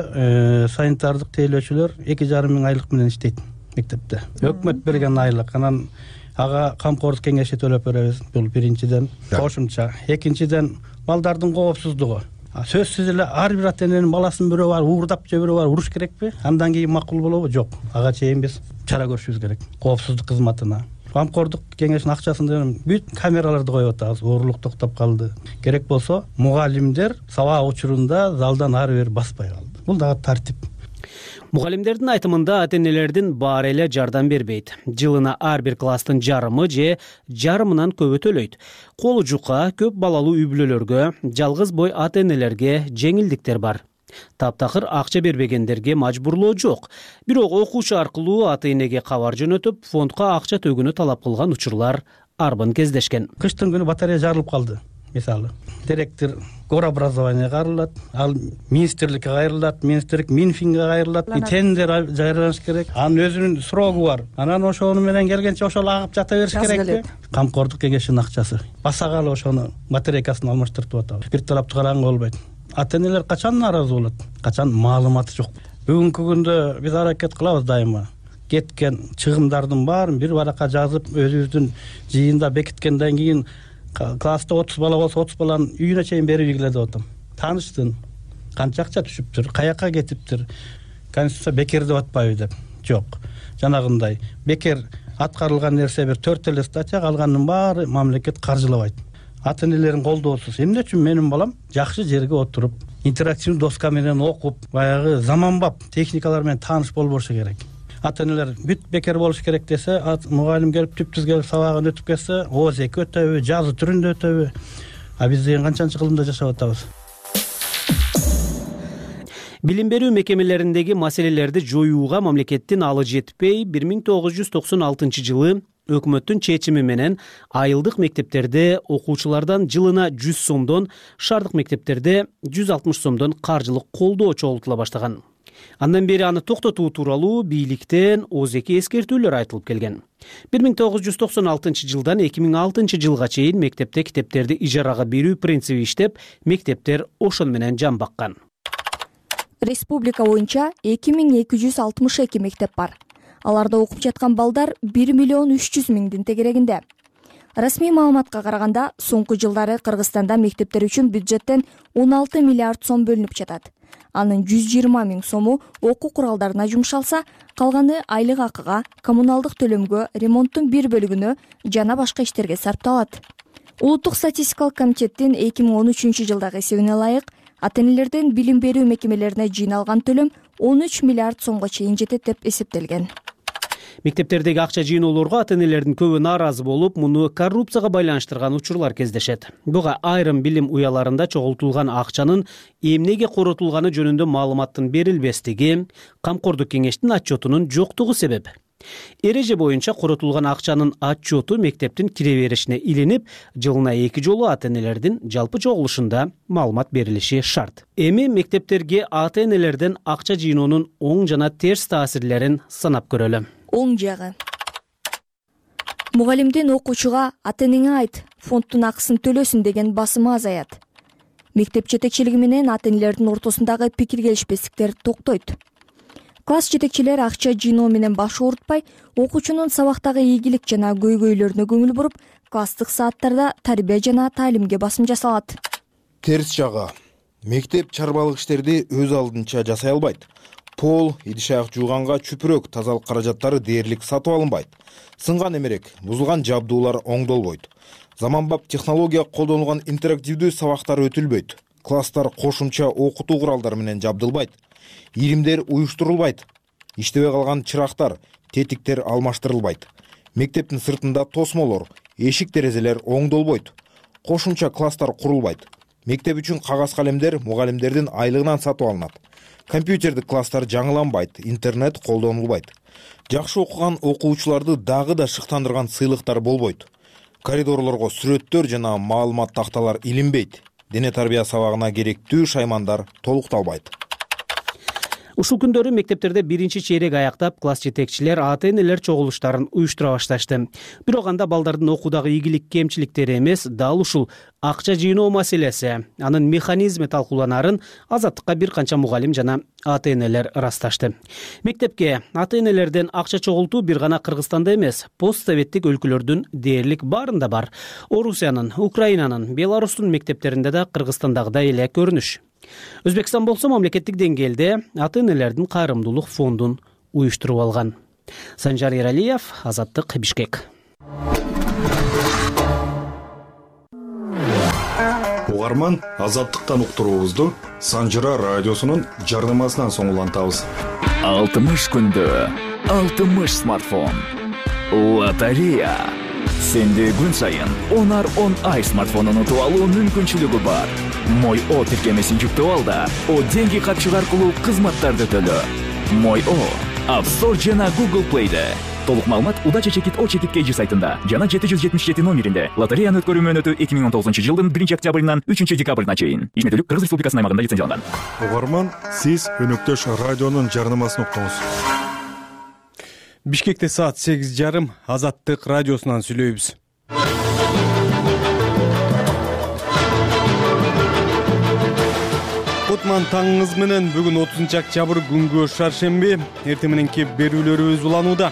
санитардык тейлөөчүлөр эки жарым миң айлык менен иштейт мектепте. Өкмөт берген айлык. Анан ага камкордук кеңеши төлөп беребиз. Бул биринчиден кошумча. Экинчиден балдардын коопсуздугу. сөзсүз эле ар бир ата эненин баласын бирөө барып уурдап же бирөө барып уруш керекпи? Андан кийин макул болобу? Жок. Ага чейин биз чара көрүшүбүз керек. Коопсуздук кызматына, камкордук кеңешинин акчасында бүт камераларды коюп атабыз. Оорлук токтоп калды. Керек болсо мугалимдер сабак учурунда залдан ары бери баспай калды. Бул дагы тартип. Мугалимдердин айтымында ата энелердин баары эле жардам бербейт. Жылына ар бир класстын жарымы же жарымынан көбү төлөйт. Колу жука көп балалуу үй бүлөлөргө, жалгыз бой ата энелерге жеңилдиктер бар. Таптакыр акча бербегендерге мажбурлоо жок. Бирок окуучу аркылуу ата энеге кабар жөнөтүп, фондко акча төгүүнү талап кылган учурлар арбын кездешкен. Кыштын күнү батарея жарылып калды. Мисалы, директор горобразованияга кайрылат, ал министрликке кайрылат, министрлик Минфинге кайрылат, тендер жарыялаш керек. Анын өзүнүн срогу бар. Анан ошону менен келгенче ошол агып жата бериш керекпи? Камкордук кеңешинин акчасы. Басагалы ошону батарейкасын алмаштыртып атабыз. Бир тараптуу караганга болбойт. Ата энелер качан нааразы болот? Качан маалыматы жок. Бүгүнкү күндө биз аракет кылабыз дайыма. Кеткен чыгымдардын баарын бир баракка жазып, өзүбүздүн жыйында бекиткенден кийин класста отуз бала болсо отуз баланын үйүнө чейин берип ийгиле деп атам. Тааныштын, канча акча түшүптүр, каяка кетиптир, конституция бекер деп атпайбы деп. Жок. Жанагындай бекер аткарылган нерсе бир төрт эле статья, калганын баары мамлекет каржылабайт. Ата энелердин колдоосуз эмне үчүн менин балам жакшы жерге отуруп, интерактивдүү доска менен окуп, баягы заманбап техникалар менен тааныш болбошу керек. Ата энелер бүт бекер болуш керек десе, мугалим келип түптүз келип сабагын өтүп кетсе, ооз эки өтөбү, жазуу түрүндө өтөбү? А биз деген канчанчы кылымда жашап атабыз? Билим берүү мекемелериндеги маселелерди жоюуга мамлекеттин алы жетпей, бир миң тогуз жүз токсон алтынчы жылы өкмөттүн чечими менен айылдык мектептерде окуучулардан жылына жүз сомдон, шаардык мектептерде жүз алтымыш сомдон каржылык колдоо чогултула баштаган. Андан бери аны токтотуу тууралуу бийликтен ооз эки эскертүүлөр айтылып келген. бир миң тогуз жүз токсон алтынчы жылдан эки миң алтынчы жылга чейин мектепте китептерди ижарага берүү принциби иштеп, мектептер ошону менен жан баккан. Республика боюнча эки миң эки жүз алтымыш эки мектеп бар. Аларда окуп жаткан балдар бир миллион үч жүз миңдин тегерегинде. Расмий маалыматка караганда, соңку жылдары Кыргызстанда мектептер үчүн бюджеттен он алты миллиард сом бөлүнүп жатат. Анын жүз жыйырма миң сому окуу куралдарына жумшалса, калганы айлык акыга, коммуналдык төлөмгө, ремонттун бир бөлүгүнө жана башка иштерге сарпталат. Улуттук статистикалык комитеттин эки миң он үчүнчү жылдагы эсебине ылайык, ата энелерден билим берүү мекемелерине жыйналган төлөм он үч миллиард сомго чейин жетет деп эсептелген. Мектептердеги акча жыйноолорго ата энелердин көбү нааразы болуп, муну коррупцияга байланыштырган учурлар кездешет. Буга айрым билим уяларында чогултулган акчанын эмнеге коротулганы жөнүндө маалыматтын берилбестиги, камкордук кеңештин отчетунун жоктугу себеп. Эреже боюнча коротулган акчанын отчету мектептин кире беришине илинип, жылына эки жолу ата энелердин жалпы чогулушунда маалымат берилиши шарт. Эми мектептерге ата энелерден акча жыйноонун оң жана терс таасирлерин санап көрөлү. Оң жагы. Мугалимдин окуучуга ата энеңе айт, фонддун акысын төлөсүн деген басымы азаят. Мектеп жетекчилиги менен ата энелердин ортосундагы пикир келишпестиктер токтойт. Класс жетекчилер акча жыйноо менен баш оорутпай, окуучунун сабактагы ийгилик жана көйгөйлөрүнө көңүл буруп, класстык сааттарда тарбия жана таалимге басым жасалат. Терс жагы. Мектеп чарбалык иштерди өз алдынча жасай албайт. Пол, идиш аяк жууганга чүпүрөк, тазалык каражаттары дээрлик сатып алынбайт. Сынган эмерек, бузулган жабдуулар оңдолбойт. Заманбап технология колдонулган интерактивдүү сабактар өтүлбөйт. Класстар кошумча окутуу куралдары менен жабдылбайт. Иримдер уюштурулбайт. Иштебей калган чырактар, тетиктер алмаштырылбайт. Мектептин сыртында тосмолор, эшик терезелер оңдолбойт. Кошумча класстар курулбайт. Мектеп үчүн кагаз калемдер мугалимдердин айлыгынан сатып алынат. Компьютердик класстар жаңыланбайт, интернет колдонулбайт. Жакшы окуган окуучуларды дагы да шыктандырган сыйлыктар болбойт. Коридорлорго сүрөттөр жана маалымат такталар илинбейт. Дене тарбия сабагына керектүү шаймандар толукталбайт. Ушул күндөрү мектептерде биринчи чейрек аяктап, класс жетекчилер, ата энелер чогулуштарын уюштура башташты. Бирок анда балдардын окуудагы ийгилик кемчиликтери эмес, дал ушул акча жыйноо маселеси, анын механизми талкууланарын Азаттыкка бир канча мугалим жана ата энелер ырасташты. Мектепке ата энелерден акча чогултуу бир гана Кыргызстанда эмес, постсоветтик өлкөлөрдүн дээрлик баарында бар. Орусиянын, Украинанын, Беларустун мектептеринде да Кыргызстандагыдай эле көрүнүш. Өзбекстан болсо мамлекеттик деңгээлде ата энелердин кайрымдуулук фондун уюштуруп алган. Санжар Эралиев, Азаттык, Бишкек. Угарман, Азаттыктан уктуруубузду Санжыра радиосунун жарнамасынан соң улантабыз. алтымыш күндө алтымыш смартфон. Лотерея. Сенде күн сайын онар он ай смартфонун утуп алуу мүмкүнчүлүгү бар. Мой О тиркемесин жүктөп ал да, О деньги катчык аркылуу кызматтарды төлө. Мой О App Store жана Google Play'де. Толук маалымат Удача чекит О чекит кей жи сайтында жана жети жүз жетимиш жети номеринде. Лотереяны өткөрүү мөөнөтү эки миң он тогузунчу жылдын биринчи октябрынан үчүнчү декабрына чейин. Ишметтүүлүк Кыргыз Республикасынын аймагында лицензияланган. Угарман, сиз өнөктөш радионун жарнамасын уктуңуз. Бишкекте саат сегиз жарым, Азаттык радиосунан сүйлөйбүз. Кутман таңыңыз менен бүгүн отузунчу октябрь күнгө шаршемби, эртең мененки берүүлөрүбүз уланууда.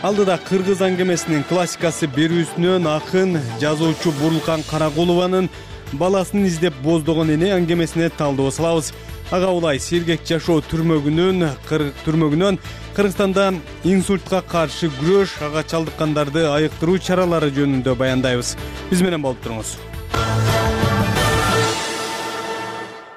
Алдыда Кыргыз аңгемесинин классикасы берүүсүнөн акын жазуучу Бурулкан Каракулованын баласын издеп боздогон эне аңгемесине талдоо салабыз. Ага улай сергек жашоо түрмөгүнүн түрмөгүнөн Кыргызстанда инсультка каршы күрөш, ага чалдыккандарды айыктыруу чаралары жөнүндө баяндайбыз. Биз менен болуп туруңуз.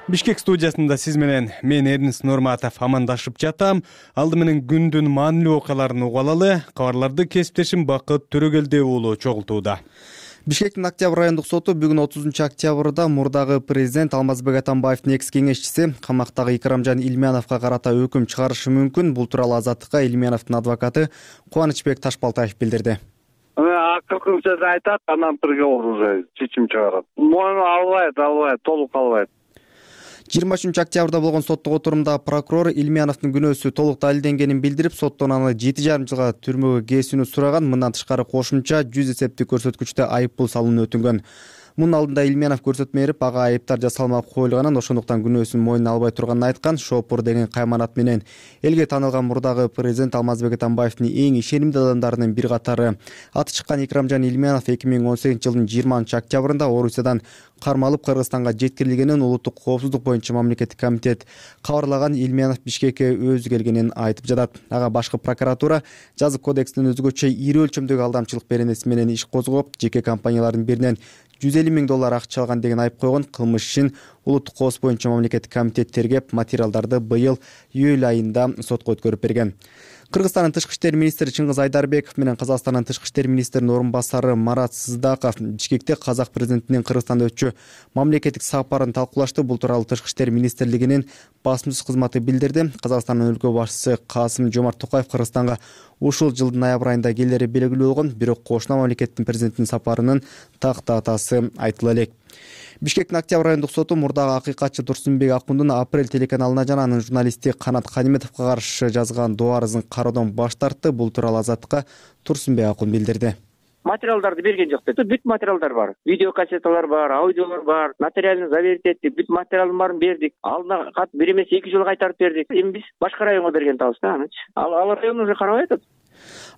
Бишкек студиясында сиз менен мен Эрнис Нурматов амандашып жатам. Алды менен күндүн маанилүү окуяларын угуп алалы. Кабарларды кесиптешим Бакыт Төрөгелдиев уулу чогултууда. Бишкектин Октябрь райондук соту бүгүн отузунчу октябрда мурдагы президент Алмазбек Атамбаевдин экс кеңешчиси камактагы Икрамжан Илмяновго карата өкүм чыгарышы мүмкүн. Бул тууралуу Азаттыкка Илмяновдун адвокаты Кубанычбек Ташбалтаев билдирди. Акыркынча айтат, анан приговор уже чечим чыгарат. Мойну албайт, албайт, толук албайт. жыйырма үчүнчү октябрда болгон соттук отурумда прокурор Илмяновдун күнөөсү толук далилденгенин билдирип, соттон аны жети жарым жылга түрмөгө кесүүнү сураган. Мындан тышкары кошумча жүз эсептик көрсөткүчтө айыппул салууну өтүнгөн. Мунун алдында Илмянов көрсөтмө берип, ага айыптар жасалмай коюлганын, ошондуктан күнөөсүн мойнуна албай турганын айткан. Шопур деген кайманат менен элге таанылган мурдагы президент Алмазбек Атамбаевдин эң ишенимдүү адамдарынын бир катары аты чыккан Икрамжан Илмянов эки миң он сегизинчи жылдын жыйырманчы октябрында Орусиядан кармалып Кыргызстанга жеткирилгенин улуттук коопсуздук боюнча мамлекеттик комитет кабарлаган. Илмянов Бишкекке өзү келгенин айтып жатат. Ага башкы прокуратура жазык кодекстин өзгөчө ири өлчөмдөгү алдамчылык беренеси менен иш козгоп, жеке компаниялардын биринен жүз элүү миң доллар акча алган деген айып койгон. Кылмыш ишин улуттук коопсуздук боюнча мамлекеттик комитет тергеп, материалдарды быйыл июль айында сотко өткөрүп берген. Кыргызстандын тышкы иштер министри Чыңгыз Айдарбеков менен Казакстандын тышкы иштер министринин орун басары Марат Сыздаков Бишкекте казак президентинин Кыргызстанда өтчү мамлекеттик сапарын талкуулашты. Бул тууралуу тышкы иштер министрлигинин басмачы кызматы билдирди. Казакстандын өлкө башчысы Касым Жомарт Токаев Кыргызстанга ушул жылдын ноябрь айында келери белгилүү болгон, бирок кошуна мамлекеттин президентинин сапарынын так датасы айтыла элек. Бишкектин Октябрь райондук соту мурдагы акыйкатчы Турсунбек Акундун Апрель телеканалына жана анын журналисти Канат Каниметовго каршы жазган доо арызын кароодон баш тартты. Бул тууралуу Азаттыкка Турсунбек Акун билдирди. Материалдарды берген жок дейт. Бүт материалдар бар. Видео кассеталар бар, аудиолор бар, нотариально заверить эттик, бүт материалдын баарын бердик. Алдына кат бир эмес эки жолу кайтарып бердик. Эми биз башка районго берген атабыз да анычы. Ал ал район уже карабай атат.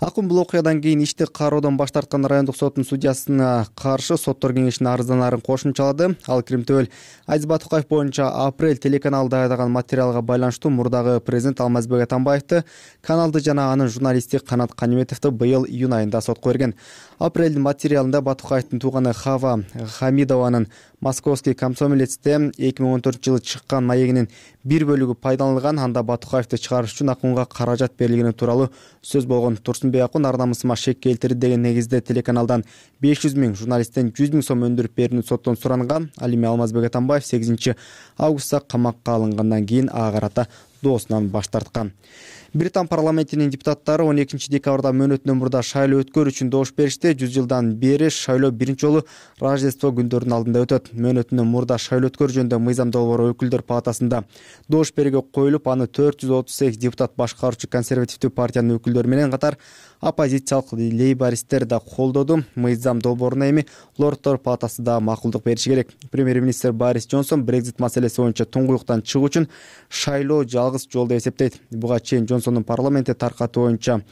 Акун бул окуядан кийин ишти кароодон баш тарткан райондук соттун судьясына каршы соттор кеңешинин арызданаарын кошумчалады. Ал Кримтөбөл Айзбат Токаев боюнча Апрель телеканалда айдаган материалга байланыштуу мурдагы президент Алмазбек Атамбаевди, каналды жана анын журналисти Канат Каниметовду быйыл июнь айында сотко берген. Апрелдин материалында Батукаевдин тууганы Хава Хамидованын Московский комсомолецте эки миң он төртүнчү жылы чыккан маегинин бир бөлүгү пайдаланылган. Анда Батукаевди чыгарыш үчүн Акунга каражат берилгени тууралуу сөз болгон. Турсунбек Акун ар намысыма шек келтирди деген негизде телеканалдан беш жүз миң, журналисттен жүз миң сом өндүрүп берүүнү соттон суранган. Ал эми Алмазбек Атамбаев сегизинчи августта камакка алынгандан кийин ага карата доосунан баш тарткан. Британ парламентинин депутаттары он экинчи декабрда мөөнөтүнөн мурда шайлоо өткөрүү үчүн добуш беришти. жүз жылдан бери шайлоо биринчи жолу Рождество күндөрүнүн алдында өтөт. Мөөнөтүнөн мурда шайлоо өткөрүү жөнүндө мыйзам долбоору өкүлдөр палатасында добуш берүүгө коюлуп, аны төрт жүз отуз сегиз депутат башкаруучу консервативдүү партиянын өкүлдөрү менен катар оппозициялык лейбористтер да колдоду. Мыйзам долбооруна эми Лорддор палатасы да макулдук бериши керек. Премьер-министр Борис Джонсон Брекзит маселеси боюнча туңгуюктан чыгуу үчүн шайлоо жалгыз жол деп эсептейт. Буга чейин Джонсондун парламентте таркатуу боюнча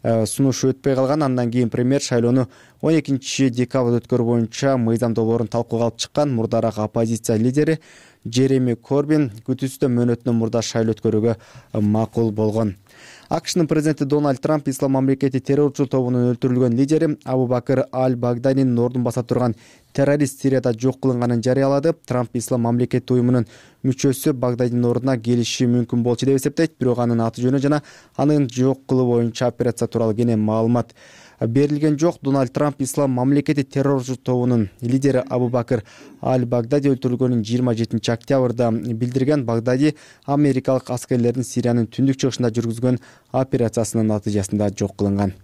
сунушу өтпөй калган. Андан кийин премьер шайлоону он экинчи декабрда өткөрүү боюнча мыйзам долбоорун талкууга алып чыккан. Мурдараак оппозиция лидери Джереми Корбин күтүүсүздө мөөнөтүнөн мурда шайлоо өткөрүүгө макул болгон. АКШнын президенти Дональд Трамп Ислам мамлекети террорчу тобунун өлтүрүлгөн лидери Абу Бакр аль-Багдадинин ордун баса турган террорист Сирияда жок кылынганын жарыялады. Трамп Ислам мамлекети уюмунун мүчөсү Багдадинин ордуна келиши мүмкүн болчу деп эсептейт. Бирок анын аты жөнү жана анын жок кылуу боюнча операция тууралуу кенен маалымат берилген жок. Дональд Трамп Ислам мамлекети террорчу тобунун лидери Абу Бакр аль-Багдади өлтүрүлгөнүн жыйырма жетинчи октябрда билдирген. Багдади америкалык аскерлердин Сириянын түндүк чыгышында жүргүзгөн операциясынын натыйжасында жок кылынган.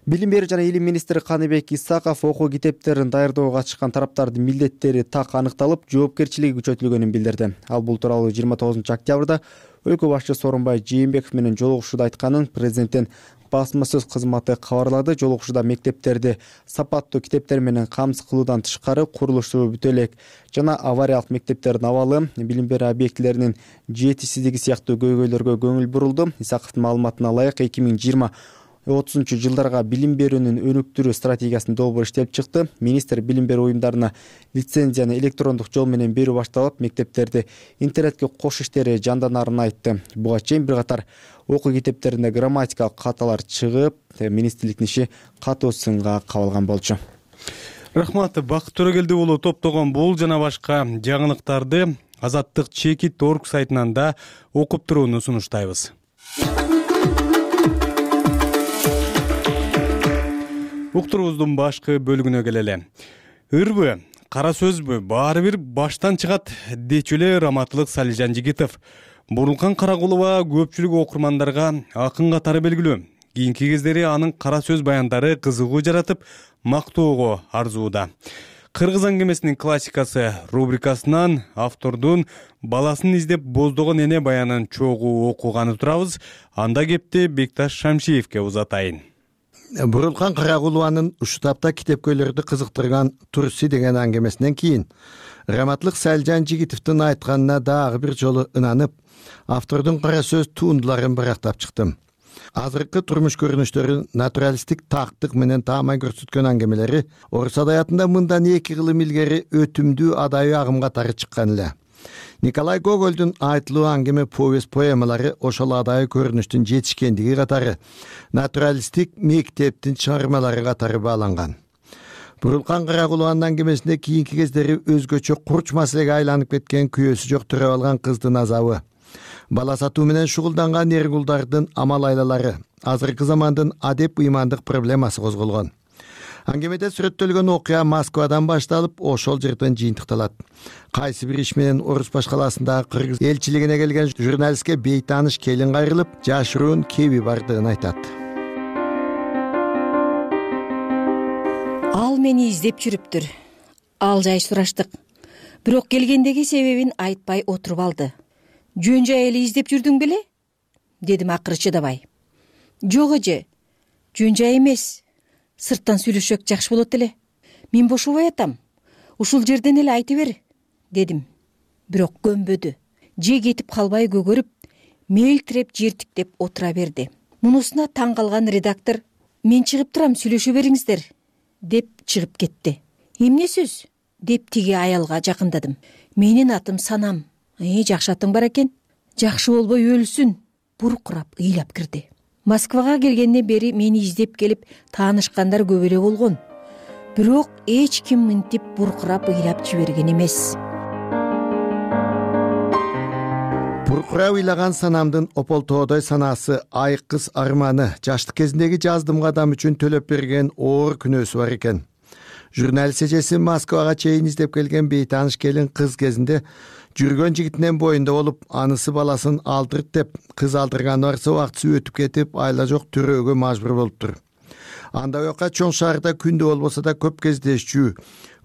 Билим берүү жана илим министри Каныбек Исаков окуу китептерин даярдоого катышкан тараптардын милдеттери так аныкталып, жоопкерчилиги күчөтүлгөнүн билдирди. Ал бул тууралуу жыйырма тогузунчу октябрда өлкө башчысы Сооронбай Жээнбеков менен жолугушууда айтканын президенттин басмасөз кызматы кабарлады. Жолугушууда мектептерди сапаттуу китептер менен камсыз кылуудан тышкары курулушу бүтө элек жана авариялык мектептердин абалы, билим берүү объектилеринин жетишсиздиги сыяктуу көйгөйлөргө көңүл бурулду. Исаковдун маалыматына ылайык эки миң жыйырма отузунчу жылдарга билим берүүнүн өнүктүрүү стратегиясынын долбоору иштелип чыкты. Министр билим берүү уюмдарына лицензияны электрондук жол менен берүү башталып, мектептерди интернетке кошуу иштери жанданарын айтты. Буга чейин бир катар окуу китептеринде грамматикалык каталар чыгып, министрликтин иши катуу сынга кабылган болчу. Рахмат. Бакыт Төрөгелди уулу топтогон бул жана башка жаңылыктарды Азаттык чекит орг сайтынан да окуп турууну сунуштайбыз. Уктуруубуздун башкы бөлүгүнө келели. Ырбы, кара сөзбү, баары бир баштан чыгат дечү эле Раматылык Салижан Жигитов. Бурулкан Карагулова көпчүлүк окурмандарга акын катары белгилүү. Кийинки кездери анын кара сөз баяндары кызыгуу жаратып, мактоого арзууда. Кыргыз аңгемесинин классикасы рубрикасынан автордун баласын издеп боздогон эне баянын чогуу окуганы турабыз. Анда кепти Бекташ Шамшиевке узатайын. Бурулкан Карагулованын ушул тапта китепкөйлөрдү кызыктырган Турси деген аңгемесинен кийин Раматылык Салижан Жигитовдун айтканына дагы бир жолу ынанып, автордун кара сөз туындуларын барактап чыктым. Азыркы турмуш көрүнүштөрүн натуралисттик тактык менен таамай көрсөткөн аңгемелери орус адаятында мындан эки кылым илгери өтүмдүү адайы агым катары чыккан эле. Николай Гогольдун айтылуу аңгеме повесть поэмалары ошол адайы көрүнүштүн жетишкендиги катары натуралисттик мектептин чыгармалары катары бааланган. Бурулкан Карагулованын аңгемесинде кийинки кездери өзгөчө курч маселеге айланып кеткен күйөөсү жок төрөп алган кыздын азабы, бала сатуу менен шугулданган эргулдардын амал айлалары, азыркы замандын адеп ыймандык проблемасы козголгон. Аңгемеде сүрөттөлгөн окуя Москвадан башталып, ошол жерден жыйынтыкталат. Кайсы бир иш менен Орус башкаласындагы кыргыз элчилигине келген журналистке бейтааныш келин кайрылып, жашыруун кеби бардыгын айтат. Ал мени издеп жүрүптүр. Ал жай сураштык. Бирок келгендеги себебин айтпай отуруп алды. Жөн жай эле издеп жүрдүң беле? Дедим акыры чыдабай. Жок эже, жөн жай эмес. Сырттан сүйлөшсөк жакшы болот эле. Мен бошобой атам. Ушул жерден эле айта бер, дедим. Бирок көнбөдү. Же кетип калбай көгөрүп, мелтиреп жертиктеп отура берди. Мунусуна таң калган редактор: "Мен чыгып турам, сүйлөшө бериңиздер", деп чыгып кетти. "Эмне сөз?" деп тиги аялга жакындадым. "Менин атым Санам. Э, жакшы атың бар экен. Жакшы болбой өлсүн", буркурап ыйлап кирди. Москвага келгенден бери мени издеп келип таанышкандар көп эле болгон. Бирок эч ким мынтип буркурап ыйлап жиберген эмес. Буркурап ыйлаган Санамдын ополтоодой санаасы, айкыз арманы, жаштык кезиндеги жаздымгы адам үчүн төлөп берген оор күнөөсү бар экен. Журналист эжеси Москвага чейин издеп келген бейтааныш келин кыз кезинде жүргөн жигитинен боюнда болуп, анысы баласын алдырт деп кыз алдырганы барса убактысы өтүп кетип, айла жок төрөөгө мажбур болуптур. Анда буяка чоң шаарда күндө болбосо да көп кездешчү.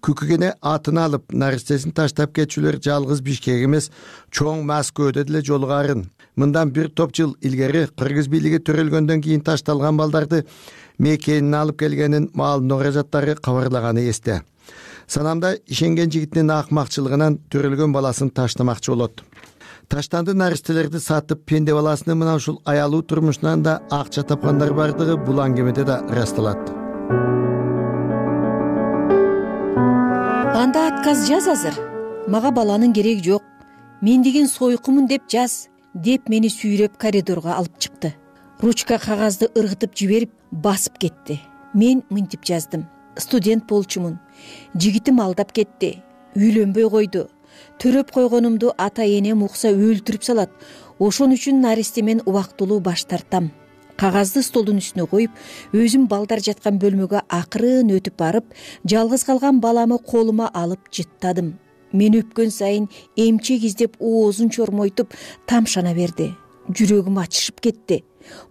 Күкүгене атын алып, наристесин таштап кетчүлөр жалгыз Бишкек эмес, чоң Москвада деле жолугарын. Мындан бир топ жыл илгери кыргыз бийлиги төрөлгөндөн кийин ташталган балдарды мекенин алып келгенин маалымдоо каражаттары кабарлаганы эсте. Санамда ишенген жигитинин акмакчылыгынан төрөлгөн баласын таштамакчы болот. Таштанды наристелерди сатып, пенде баласынын мына ушул аялуу турмушунан да акча тапкандар бардыгы бул аңгемеде да ырасталат. Анда отказ жаз азыр. Мага баланын кереги жок. Мен деген сойкумун деп жаз, деп мени сүйрөп коридорго алып чыкты. Ручка кагазды ыргытып жиберип, басып кетти. Мен мынтип жаздым. Студент болчумун. Жигитим алдап кетти. Үйлөнбөй койду. Төрөп койгонумду ата-энем укса өлтүрүп салат. Ошон үчүн наристемен убактылуу баш тартам. Кагазды столдун үстүнө коюп, өзүм балдар жаткан бөлмөгө акырын өтүп барып, жалгыз калган баламы колума алып жыттадым. Мен өпкөн сайын эмчек издеп оозун чормойтуп тамшана берди. Жүрөгүм ачышып кетти.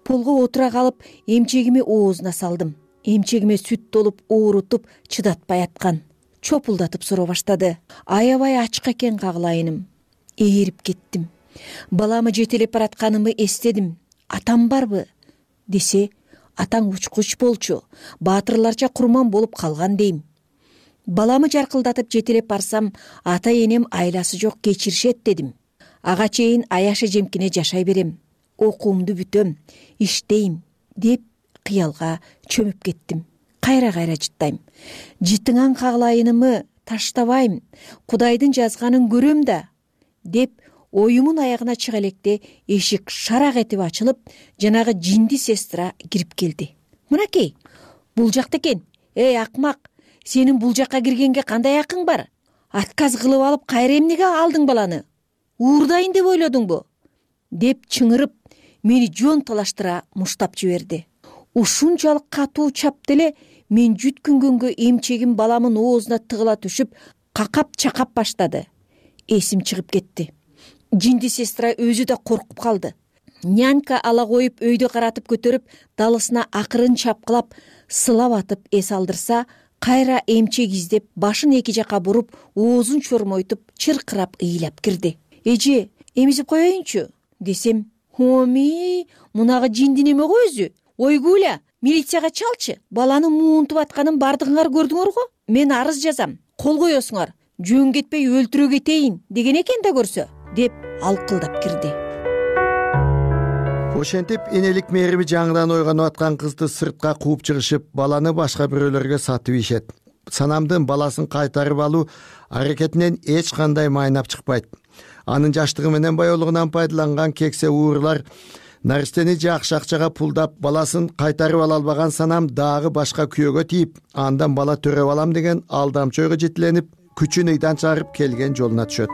Полго отура калып, эмчегими оозуна салдым. Эмчегиме сүт толуп, оорутуп, чыдатпай аткан. Чопулдатып суроо баштады. Аябай ачка экен кагылайыным. Ээрип кеттим. Баламы жетелеп баратканымы эстедим. Атам барбы? Десе, атаң учкуч болчу, баатырларча курман болуп калган дейм. Баламы жаркылдатып жетелеп барсам, ата-энем айласы жок кечиришет дедим. Ага чейин аяшы жемкине жашай берем. Окуумду бүтөм, иштейм, деп кыялга чөмүп кеттим. Кайра-кайра жыттайм. Жытыңан кагылайынымы таштабайм, Кудайдын жазганын көрөм да, деп оюмун аягына чыга электе эшик шарак этип ачылып, жанагы жинди сестра кирип келди. Мынакей, бул жакта экен. Эй, акмак, сенин бул жакка киргенге кандай акың бар? Отказ кылып алып, кайра эмнеге алдың баланы? Уурдайын деп ойлодуңбу? Деп чыңырып, мени жон талаштыра муштап жиберди. Ушунчалык катуу чапты эле мен жүткүнгөнгө эмчегим баламын оозуна тыгыла түшүп, какап-чакап баштады. Эсим чыгып кетти. Жинди сестра өзү да коркуп калды. Нянька ала коюп өйдө каратып көтөрүп, далысына акырын чапкылап, сылап атып эс алдырса, кайра эмчек издеп, башын эки жака буруп, оозун чормойтуп, чыркырап ыйлап кирди. Эже, эмизип коеюнчу десем, хоми, мунагы жинди неме го өзү? Ойгуля, милицияга чалчы. Баланы муунтуп атканын бардыгыңар көрдүңөр го? Мен арыз жазам. Кол коесуңар. Жөн кетпей өлтүрө кетейин деген экен да көрсө, деп алкылдап кирди. Ошентип энелик мээрими жаңыдан ойгонуп аткан кызды сыртка кууп чыгышып, баланы башка бирөөлөргө сатып ийишет. Санамдын баласын кайтарып алуу аракетинен эч кандай майнап чыкпайт. Анын жаштыгы менен баяулугунан пайдаланган кексе уурлар наристени жакшы акчага пулдап, баласын кайтарып ала албаган санам дагы башка күйөөгө тийип, андан бала төрөп алам деген алдамчы ойго жетиленип, күчүн ыйдан чыгарып келген жолуна түшөт.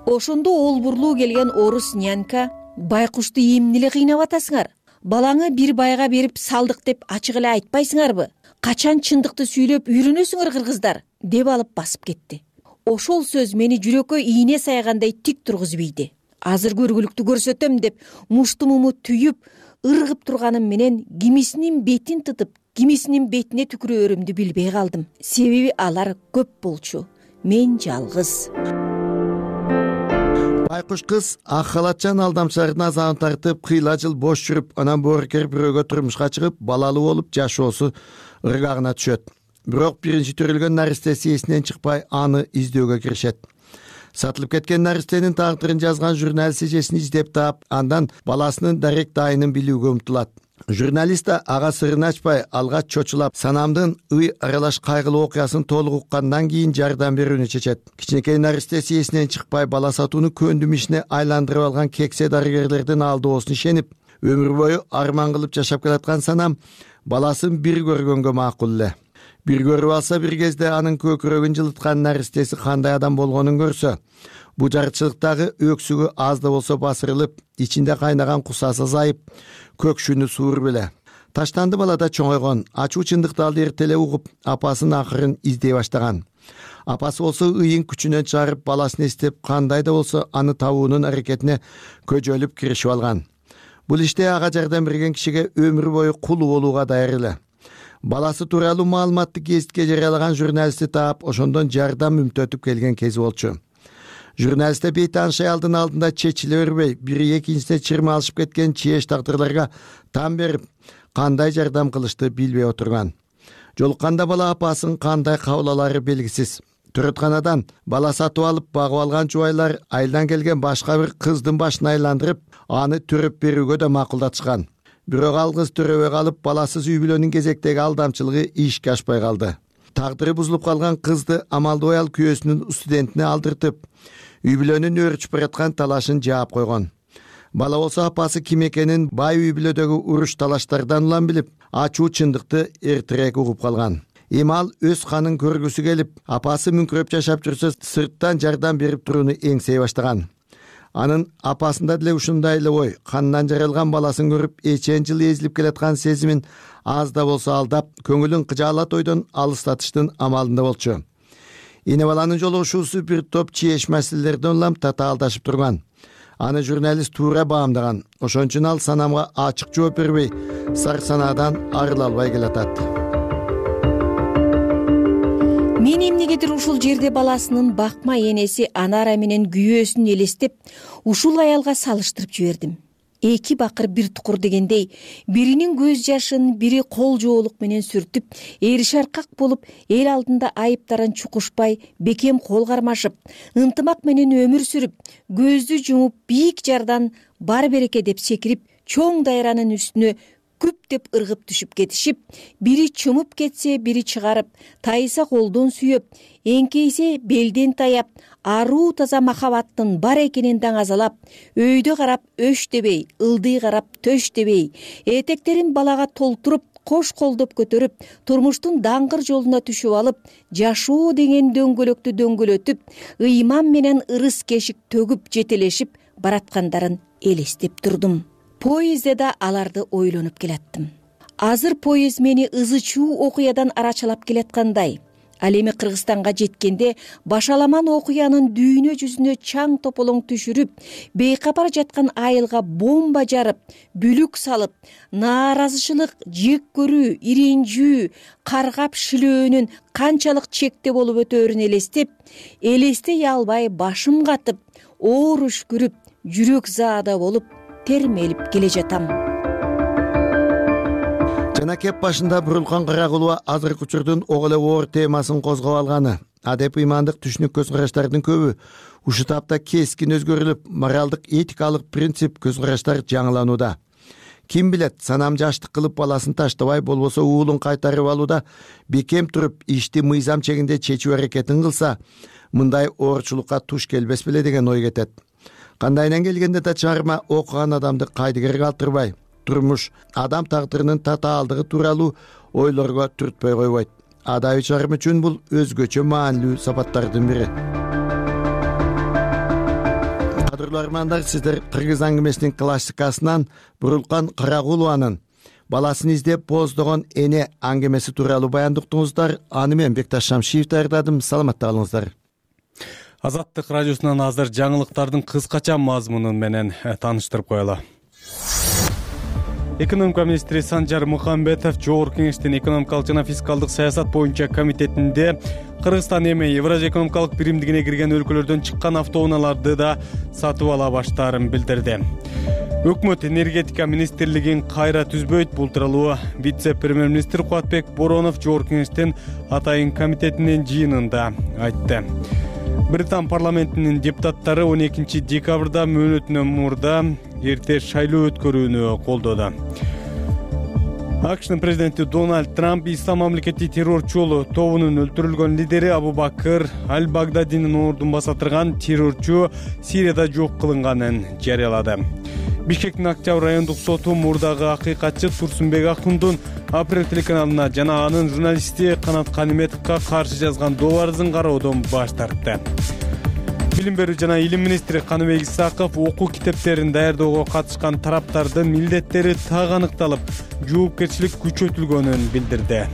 Ошондо олбурлуу келген орус нянька, байкушты эмне эле кыйнап атасыңар? Балаңы бир байга берип салдык деп ачык эле айтпайсыңарбы? Качан чындыкты сүйлөп үйрөнөсүңөр кыргыздар, деп алып басып кетти. Ошол сөз мени жүрөккө ийне сайгандай тик тургузуп ийди. Азыр көргүлүктү көрсөтөм деп муштумуму түйүп, ыргып турганым менен кимисинин бетин тытып, кимисинин бетине түкүрөөрүмдү билбей калдым. Себеби алар көп болчу, мен жалгыз. Байкуш кыз ак халатчан алдамчылардын азабын тартып, кыйла жыл бош жүрүп, анан боорукер бирөөгө турмушка чыгып, балалуу болуп жашоосу ыргагына түшөт. Бирок биринчи төрөлгөн наристеси эсинен чыкпай, аны издөөгө киришет. Сатылып кеткен наристенин тагдырын жазган журналист эжесин издеп таап, андан баласынын дарек дайынын билүүгө умтулат. Журналист да ага сырын ачпай, алгач чочулап, санамдын ый аралаш кайгылуу окуясын толук уккандан кийин жардам берүүнү чечет. Кичинекей наристеси эсинен чыкпай, бала сатууну көндүм ишине айландырып алган кексе дарыгерлердин алдоосуна ишенип, өмүр бою арман кылып жашап келаткан санам баласын бир көргөнгө макул эле. Бир көрүп алса, бир кезде анын көкүрөгүн жылыткан наристеси кандай адам болгонун көрсө, бу жарчылыктагы өксүгү аз да болсо басырылып, ичинде кайнаган кусасы азайып, көкшүнү суур беле. Таштанды балада чоңойгон, ачуу чындыкты ал эрте эле угуп, апасынын акырын издей баштаган. Апасы болсо ыйын күчүнөн чыгарып, баласын эстеп, кандай да болсо аны табуунун аракетине көжөлүп киришип алган. Бул иште ага жардам берген кишиге өмүр бою кул болууга даяр эле. Баласы тууралуу маалыматты гезитке жарыялаган журналистти таап, ошондон жардам үмүттөтүп келген кези болчу. Журналистте бейтанышай алдын алдында чечиле бербей, бири экинчисине чырма алышып кеткен чееш тагдырларга там берип, кандай жардам кылышты билбей отурган. Жолукканда бала апасын кандай кабыл алары белгисиз. Төрөтканадан бала сатып алып багып алган жубайлар айылдан келген башка бир кыздын башын айландырып, аны төрөп берүүгө да макулдатышкан. Бирок ал кыз төрөбөй калып, баласыз үй бүлөнүн кезектеги алдамчылыгы ишке ашпай калды. Тагдыры бузулуп калган кызды амалдуу аял күйөөсүнүн студентине алдыртып, үй бүлөнүн өөрчүп бараткан талашын жаап койгон. Бала болсо апасы ким экенин бай үй бүлөдөгү уруш талаштардан улам билип, ачуу чындыкты эртерээк угуп калган. Эми ал өз канын көргүсү келип, апасы мүңкүрөп жашап жүрсө, сырттан жардам берип турууну эңсей баштаган. Анын апасында деле ушундай эле ой, кандан жаралган баласын көрүп, эчен жылы эзилип келаткан сезимин аз да болсо алдап, көңүлүн кыжаалат ойдон алыстатыштын амалында болчу. Эне баланын жолугушуусу бир топ чееш маселелерден улам татаалдашып турган. Аны журналист туура баамдаган. Ошон үчүн ал санамга ачык жооп бербей, сар санаадан арыла албай келатат. Мен эмнегедир ушул жерде баласынын бакма энеси Анара менен күйөөсүн элестеп, ушул аялга салыштырып жибердим. Эки бакыр бир тукур дегендей, биринин көз жашын, бири кол жоолук менен сүртүп, эри шаркак болуп, эл алдында айыптарын чукушпай, бекем кол кармашып, ынтымак менен өмүр сүрүп, көздү жумуп, бийик жардан бар береке деп секирип, чоң дайранын үстүнө күп деп ыргып түшүп кетишип, бири чумуп кетсе, бири чыгарып, тайса колдон сүйөп, эңкейсе белден таяп, аруу таза махабаттын бар экенин даңазалап, өйдө карап өш дебей, ылдый карап төш дебей, этектерин балага толтуруп, кош колдоп көтөрүп, турмуштун даңгыр жолуна түшүп алып, жашоо деген дөңгөлөктү дөңгөлөтүп, ыйман менен ырыс кешик төгүп жетелешип бараткандарын элестеп турдум. Поездде да аларды ойлонуп келаттым. Азыр поезд мени ызы чуу окуядан арачалап келаткандай. Ал эми Кыргызстанга жеткенде башаламан окуянын дүйнө жүзүнө чаң тополоң түшүрүп, бейкапар жаткан айылга бомба жарып, бүлүк салып, нааразычылык, жек көрүү, иринжүү, каргап шилөөнүн канчалык чекте болуп өтөөрүн элестеп, элестей албай башым катып, оор үшкүрүп, жүрөк заада болуп термелип келе жатам. Жана кеп башында Бурулкан Карагулова азыркы учурдун ого эле оор темасын козгоп алганы. Адеп ыймандык түшүнүк көз караштардын көбү ушул тапта кескин өзгөрүлүп, моралдык, этикалык принцип көз караштар жаңыланууда. Ким билет, санам жаштык кылып баласын таштабай, болбосо уулун кайтарып алууда бекем туруп, ишти мыйзам чегинде чечүү аракетин кылса, мындай оорчулукка туш келбес беле деген ой кетет. Кандайынан келгенде да чыгарма окуган адамды кайдыгер калтырбай, турмуш, адам тагдырынын татаалдыгы тууралуу ойлорго түртпөй койбойт. Адабий чыгарма үчүн бул өзгөчө маанилүү сапаттардын бири. Кадырлуу армандар, сиздер Кыргыз аңгемесинин классикасынан Бурулкан Карагулованын баласын издеп бооздогон эне аңгемеси тууралуу баяндуктуңуздар. Аны мен Бекташ Шамшиев даярдадым. Саламатта калыңыздар. Азаттык радиосунан азыр жаңылыктардын кыскача мазмунун менен тааныштырып коелу. Экономика министри Санжар Мухамбетов Жогорку кеңештин экономикалык жана фискалдык саясат боюнча комитетинде Кыргызстан эми Евразия экономикалык биримдигине кирген өлкөлөрдөн чыккан автоунааларды да сатып ала баштаарын билдирди. Өкмөт энергетика министрлигин кайра түзбөйт. Бул тууралуу вице-премьер-министр Кубатбек Боронов Жогорку кеңештин атайын комитетинин жыйынында айтты. Британ парламентинин депутаттары он экинчи декабрда мөөнөтүнөн мурда эрте шайлоо өткөрүүнү колдоду. АКШнын президенти Дональд Трамп Ислам мамлекети террорчу тобунун өлтүрүлгөн лидери Абу Бакыр Аль-Багдадинин ордун басатырган террорчу Сирияда жок кылынганын жарыялады. Бишкектин Октябрь райондук соту мурдагы акыйкатчы Турсунбек Акундун Апрель телеканалына жана анын журналисти Канат Каниметовго каршы жазган доо арызын кароодон баш тартты. Билим берүү жана илим министри Каныбек Исаков окуу китептерин даярдоого катышкан тараптардын милдеттери так аныкталып, жоопкерчилик күчөтүлгөнүн билдирди.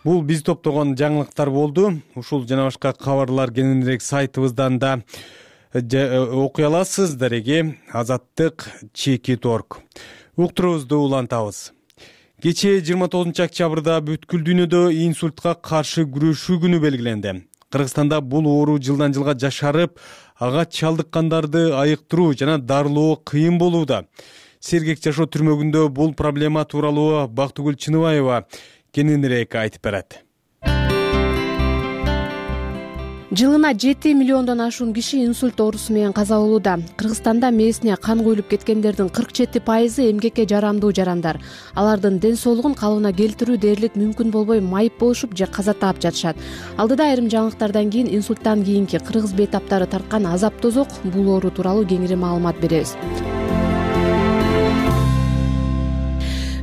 Бул биз топтогон жаңылыктар болду. Ушул жана башка кабарлар кененирээк сайтыбыздан да окуй аласыз. Дареги Азаттык чекит точка орг. Уктуруубузду улантабыз. Кечээ жыйырма тогузунчу октябрда бүткүл дүйнөдө инсультка каршы күрөшүү күнү белгиленди. Кыргызстанда бул оору жылдан жылга жашарып, ага чалдыккандарды айыктыруу жана дарылоо кыйын болууда. Сергек жашоо түрмөгүндө бул проблема тууралуу Бактыгүл Чыныбаева кененирээк айтып берет. Жылына жети миллиондон ашуун киши инсульт оорусу менен каза болууда. Кыргызстанда мээсине кан куюлуп кеткендердин кырк жети пайызы эмгекке жарамдуу жарандар. Алардын ден соолугун калыбына келтирүү дээрлик мүмкүн болбой майып болушуп же каза таап жатышат. Алдыда айрым жаңылыктардан кийин инсульттан кийинки кыргыз бейтаптары тарткан азап тозок бул оору тууралуу кеңири маалымат беребиз.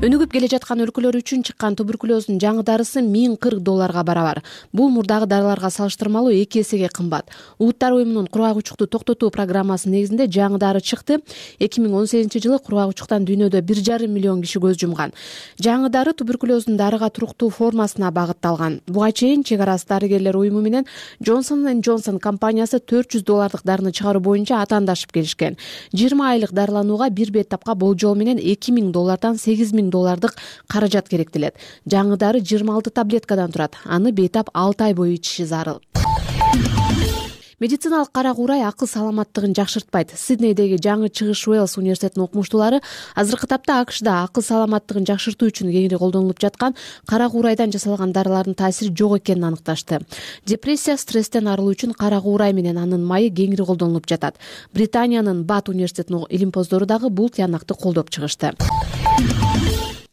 Өнүгүп келе жаткан өлкөлөр үчүн чыккан туберкулездун жаңы дарысы миң кырк долларга барабар. Бул мурдагы дарыларга салыштырмалуу эки эсеге кымбат. Улуттар уюмунун кургак учукту токтотуу программасы негизинде жаңы дары чыкты. эки миң он сегизинчи жылы кургак учуктан дүйнөдө бир жарым миллион киши көз жумган. Жаңы дары туберкулездун дарыга туруктуу формасына багытталган. Буга чейин чек арасы дарыгерлер уюму менен Johnson энд Johnson компаниясы төрт жүз доллардык дарыны чыгаруу боюнча атаандашып келишкен. жыйырма айлык дарыланууга бир бейтапка болжол менен эки миң доллардан сегиз миң доллардык каражат керектелет. Жаңы дары жыйырма алты таблеткадан турат. Аны бейтап алты ай бою ичиши зарыл. Медициналык кара куурай акыл саламаттыгын жакшыртпайт. Сиднейдеги жаңы чыгыш Уэльс университетинин окумуштуулары азыркы тапта АКШда акыл саламаттыгын жакшыртуу үчүн кеңири колдонулуп жаткан кара куурайдан жасалган дарылардын таасири жок экенин аныкташты. Депрессия, стресстен арылуу үчүн кара куурай менен анын майы кеңири колдонулуп жатат. Британиянын Бат университетинин илимпоздору дагы бул тыянакты колдоп чыгышты.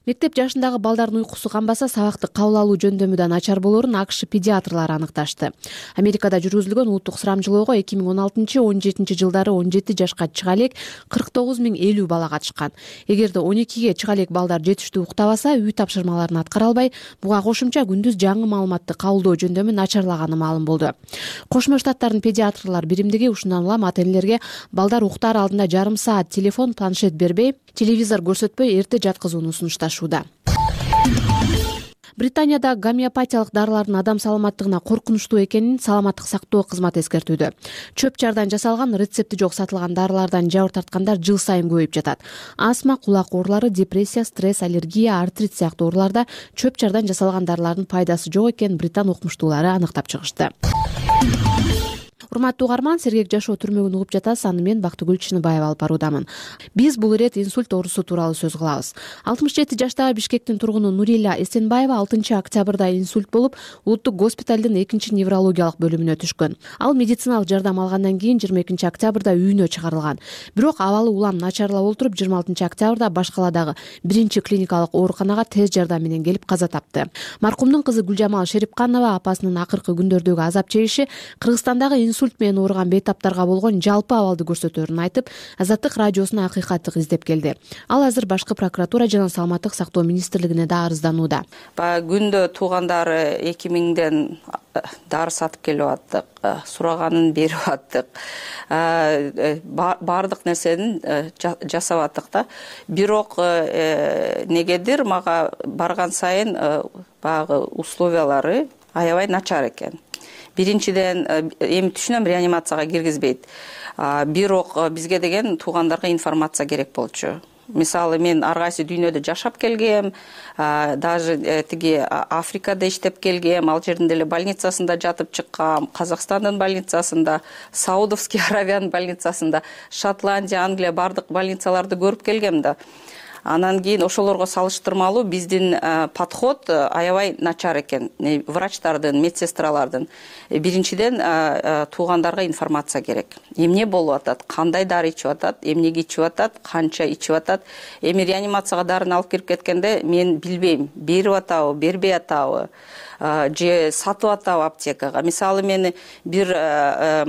Мектеп жашындагы балдардын уйкусу канбаса, сабакты кабыл алуу жөндөмү начар болорун АКШ педиатрлары аныкташты. Америкада жүргүзүлгөн улуттук сурамжылоого эки миң он алтынчы он жетинчи жылдары он жети жашка чыга элек кырк тогуз миң элүү бала катышкан. Эгерде он экиге чыга элек балдар жетиштүү уктабаса, үй тапшырмаларын аткара албай, буга кошумча күндүз жаңы маалыматты кабылдоо жөндөмү начарлаганы маалым болду. Кошмо Штаттардын педиатрлар биримдиги ушундан улам ата-энелерге балдар уктаар алдында жарым саат телефон, планшет бербей, телевизор көрсөтпөй эрте жаткызууну сунушташууда. Британияда гомеопатиялык дарылардын адам саламаттыгына коркунучтуу экенин саламаттык сактоо кызматы эскертүүдө. Чөп-чардан жасалган, рецепти жок сатылган дарылардан жабыр тарткандар жыл сайын көбөйүп жатат. Астма, кулак оорулары, депрессия, стресс, аллергия, артрит сыяктуу ооруларда чөп-чардан жасалган дарылардын пайдасы жок экенин британ окумуштуулары аныктап чыгышты. Урматтуу угарман, сергек жашоо түрмөгүн угуп жатасыз. Аны мен Бактыгүл Чыныбаева алып баруудамын. Биз бул ирет инсульт оорусу тууралуу сөз кылабыз. алтымыш жети жаштагы Бишкектин тургуну Нурила Эсенбаева алтынчы октябрда инсульт болуп, улуттук госпиталдын экинчи неврологиялык бөлүмүнө түшкөн. Ал медициналык жардам алгандан кийин жыйырма экинчи октябрда үйүнө чыгарылган. Бирок абалы улам начарлап олтуруп, жыйырма алтынчы октябрда баш каладагы биринчи клиникалык ооруканага тез жардам менен келип каза тапты. Маркумдун кызы Гүлжамал Шерипканова апасынын акыркы күндөрдөгү азап чегиши Кыргызстандагы инсульт менен ооруган бейтаптарга болгон жалпы абалды көрсөтөөрүн айтып, Азаттык радиосуна акыйкатты издеп келди. Ал азыр башкы прокуратура жана саламаттык сактоо министрлигине да арызданууда. Баягы күндө туугандары эки миңден дары сатып келип аттык, сураганын берип аттык, баардык нерсени жасап аттык да. Бирок негедир мага барган сайын баягы условиялары аябай начар экен. Биринчиден, эми түшүнөм, реанимацияга киргизбейт. Бирок бизге деген туугандарга информация керек болчу. Мисалы, мен ар кайсы дүйнөдө жашап келгем, даже тиги Африкада иштеп келгем, ал жердин деле больницасында жатып чыккам, Казакстандын больницасында, Саудовский Аравиянын больницасында, Шотландия, Англия бардык больницаларды көрүп келгем да. Анан кийин ошолорго салыштырмалуу биздин подход аябай начар экен. Врачтардын, медсестралардын. Биринчиден туугандарга информация керек. Эмне болуп атат, кандай дары ичип атат, эмнеге ичип атат, канча ичип атат. Эми реанимацияга дарыны алып кирип кеткенде мен билбейм, берип атабы, бербей атабы, же сатып атабы аптекага. Мисалы, мен бир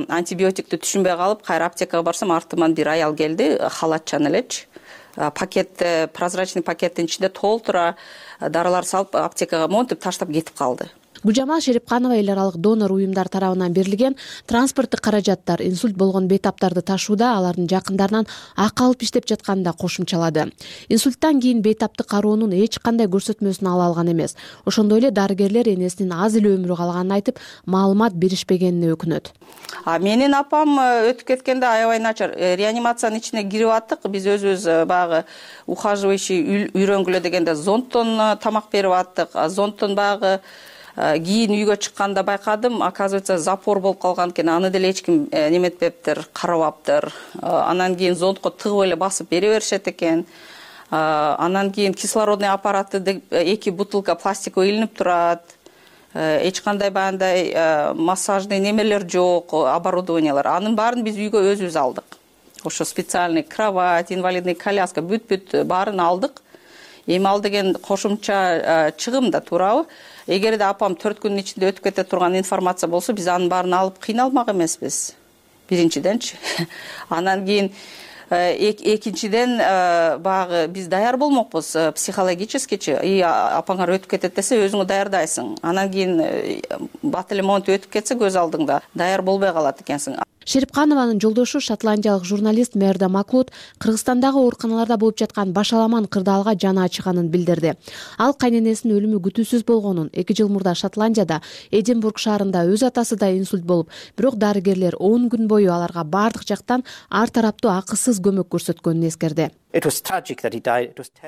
антибиотикти түшүнбөй калып, кайра аптекага барсам, артыман бир аял келди, халатчан элечи. Пакет, прозрачный пакеттин ичинде толтура дарылар салып аптекага монтип таштап кетип калды. Гүлжамал Шерипканова эл аралык донор уюмдар тарабынан берилген транспорттук каражаттар инсульт болгон бейтаптарды ташууда алардын жакындарынан акы алып иштеп жатканын да кошумчалады. Инсульттан кийин бейтаптык кароонун эч кандай көрсөтмөсүн ала алган эмес. Ошондой эле дарыгерлер энесинин аз эле өмүрү калганын айтып, маалымат беришпегенине өкүнөт. А менин апам өтүп кеткенде аябай начар. Реанимациянын ичине кирип аттык. Биз өзүбүз баягы ухаживающий үйрөнгүлө дегенде зонттон тамак берип аттык. Зонттон баягы кийин үйгө чыкканда байкадым, оказывается, запор болуп калган экен. Аны деле эч ким неметпептир, карабаптыр. Анан кийин зонтко тыгып эле басып бере беришет экен. Анан кийин кислородный аппараты деп эки бутылка пластиковый илинип турат. Эч кандай баягындай массажный немелер жок, оборудованиялар. Анын баарын биз үйгө өзүбүз алдык. Ошо специальный кровать, инвалидный коляска бүт-бүт баарын алдык. Эми ал деген кошумча чыгым да, туурабы? Эгерде апам төрт күндүн ичинде өтүп кете турган информация болсо, биз анын баарын алып кыйналмак эмеспиз. Биринчиденчи. Анан кийин экинчиден баягы биз даяр болмокпуз психологическичи. И апаңар өтүп кетет десе, өзүңө даярдайсың. Анан кийин батальмонт өтүп кетсе, көз алдыңда даяр болбой калат экенсиң. Шерипканованын жолдошу шотландиялык журналист Мерда Маклуд Кыргызстандагы ооруканаларда болуп жаткан башаламан кырдаалга жаны ачыганын билдирди. Ал кайненесинин өлүмү күтүүсүз болгонун, эки жыл мурда Шотландияда Эдинбург шаарында өз атасы да инсульт болуп, бирок дарыгерлер он күн бою аларга бардык жактан ар тараптуу акысыз көмөк көрсөткөнүн эскерди.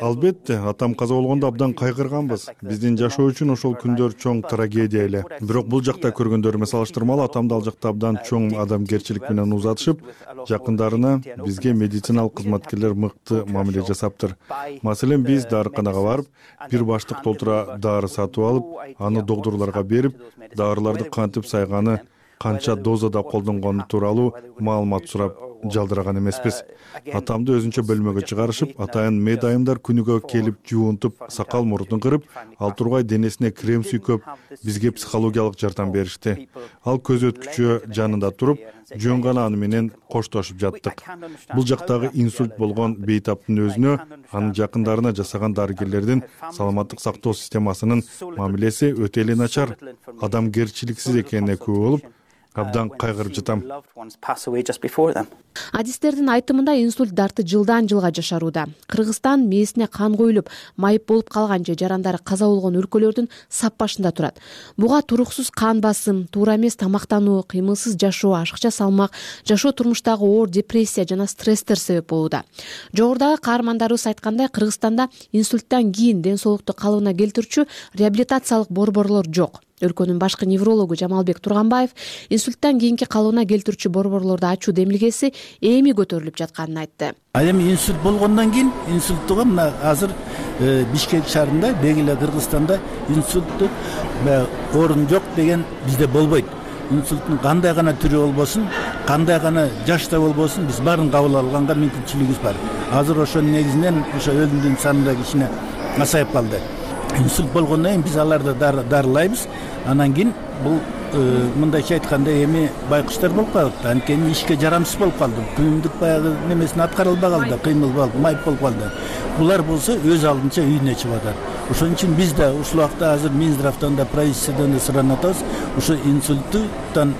Албетте, атам каза болгондо абдан кайгырганбыз. Биздин жашоо үчүн ошол күндөр чоң трагедия эле. Бирок бул жакта көргөндөрүмө салыштырмалуу атамды ал жакта абдан чоң адамгерчилик менен узатышып, жакындарына, бизге медициналык кызматкерлер мыкты мамиле жасаптыр. Маселен, биз дарыканага барып, бир баштык толтура дары сатып алып, аны доктурларга берип, дарыларды кантип сайганы, канча дозада колдонгону тууралуу маалымат сурап жалдыраган эмеспиз. Атамды өзүнчө бөлмөгө чыгарышып, атайын мед айымдар күнүгө келип жуунтуп, сакал мурдун кырып, ал тургай денесине крем сүйкөп, бизге психологиялык жардам беришти. Ал көз өткүчү жанында туруп, жөн гана аны менен коштошуп жаттык. Бул жактагы инсульт болгон бейтаптын өзүнө, анын жакындарына жасаган дарыгерлердин саламаттык сактоо системасынын мамилеси өтө эле начар, адамгерчиликсиз экенине күбө болуп, абдан кайгырып жатам. Адистердин айтымында инсульт дарты жылдан жылга жашарууда. Кыргызстан мээсине кан коюлуп, майып болуп калган же жарандары каза болгон өлкөлөрдүн сап башында турат. Буга туруксуз кан басым, туура эмес тамактануу, кыймылсыз жашоо, ашыкча салмак, жашоо турмуштагы оор депрессия жана стресстер себеп болууда. Жогорудагы каармандарыбыз айткандай, Кыргызстанда инсульттан кийин ден соолукту калыбына келтирүүчү реабилитациялык борборлор жок. Өлкөнүн башкы неврологу Жамалбек Турганбаев инсульттан кийинки калыбына келтирүүчү борборлорду ачуу демилгеси эми көтөрүлүп жатканын айтты. Ал эми инсульт болгондон кийин инсульттуга мына азыр Бишкек шаарында, Бегиле Кыргызстанда инсульттук орун жок деген бизде болбойт. Инсульттун кандай гана түрү болбосун, кандай гана жашта болбосун, биз баарын кабыл алганга мүмкүнчүлүгүбүз бар. Азыр ошонун негизинен ошо өлүмдүн саны да кичине азайып калды. Инсульт болгондон кийин биз аларды дарылайбыз. Анан кийин бул мындайча айтканда эми байкуштар болуп калды. Анткени ишке жарамсыз болуп калды. Күйүмдүк баягы немесин аткара албай калды, кыймыл майып болуп калды. Булар болсо өз алдынча үйүнө чыгып атат. Ошон үчүн биз да ушул убакта азыр Минздравтан да, правительстводон да суранып атабыз. Ушу инсульттан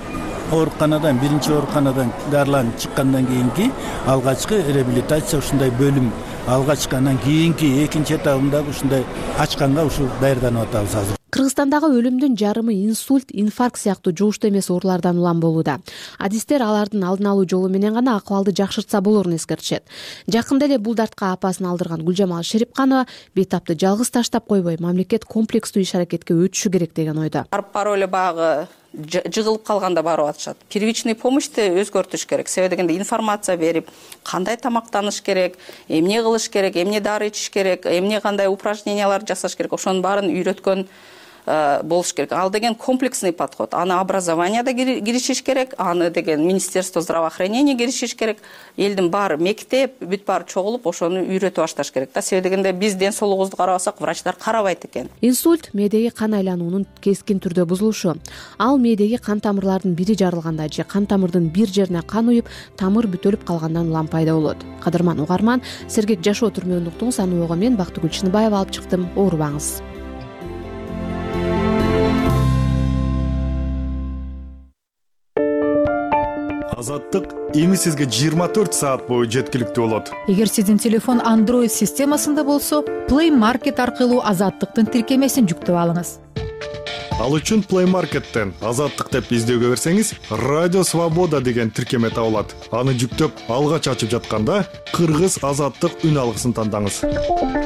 ооруканадан, биринчи ооруканадан дарыланып чыккандан кийинки алгачкы реабилитация ушундай бөлүм, алгачкы анан кийинки экинчи этабында ушундай ачканга ушул даярданып атабыз азыр. Кыргызстандагы өлүмдүн жарымы инсульт, инфаркт сыяктуу жугуштуу эмес оорулардан улам болууда. Адистер алардын алдын алуу жолу менен гана акыбалды жакшыртса болорун эскертишет. Жакында эле бул дартка апасын алдырган Гүлжамал Шерипканова бейтапты жалгыз таштап койбой, мамлекет комплекстүү иш-аракетке өтүшү керек деген ойдо. Барып эле багы жыгылып калганда барып атышат. Первичный помощьты өзгөртүш керек. Себеби дегенде информация берип, кандай тамактаныш керек, эмне кылыш керек, эмне дары ичиш керек, эмне кандай упражнениялар жасаш керек, ошонун баарын үйрөткөн болуш керек. Ал деген комплексный подход. Аны образованияда киришиш керек, аны деген Министерство здравоохранения киришиш керек. Элдин баары мектеп, бүт баары чогулуп, ошону үйрөтүп башташ керек. Да себеби дегенде биз ден соолугубузду карабасак, врачтар карабайт экен. Инсульт мээдеги кан айлануунун кескин түрдө бузулушу. Ал мээдеги кан тамырлардын бири жарылганда же кан тамырдын бир жерине кан уюп, тамыр бүтөлүп калгандан улам пайда болот. Кадырман угарман, сергек жашоо түрмөгүн уктуңуз. Аны мен Бактыгүл Чыныбаева алып чыктым. Оорубаңыз. Азаттык эми сизге жыйырма төрт саат бою жеткиликтүү болот. Эгер сиздин телефон Android системасында болсо, Play Market аркылуу Азаттыктын тиркемесин жүктөп алыңыз. Ал үчүн Play Market'тен Азаттык деп издөөгө берсеңиз, Радио Свобода деген тиркеме табылат. Аны жүктөп алгач ачып жатканда Кыргыз Азаттык үн алгысын тандаңыз.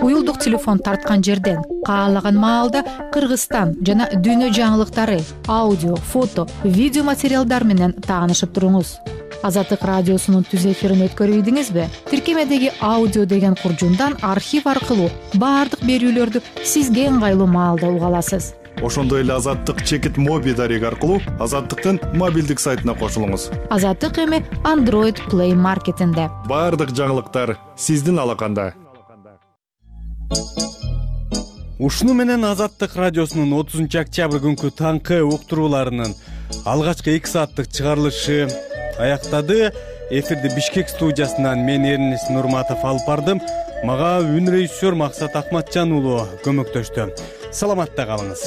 Уюлдук телефон тарткан жерден каалаган маалда Кыргызстан жана дүйнө жаңылыктары, аудио, фото, видео материалдар менен таанышып туруңуз. Азаттык радиосунун түз эфирин өткөрүп ийдиңизби? Тиркемедеги аудио деген куржундан архив аркылуу баардык берүүлөрдү сизге ыңгайлуу маалда уга аласыз. Ошондой эле Азаттык чекит моби дареги аркылуу Азаттыктын мобилдик сайтына кошулуңуз. Азаттык эми Android Play Market'инде. Баардык жаңылыктар сиздин алаканда. Ушуну менен Азаттык радиосунун отузунчу октябрь күнкү таңкы уктурууларынын алгачкы эки сааттык чыгарылышы аяктады. Эфирди Бишкек студиясынан мен Эрнис Нурматов алып бардым. Мага үн режиссер Максат Акматжан уулу көмөктөштү. Саламатта калыңыз.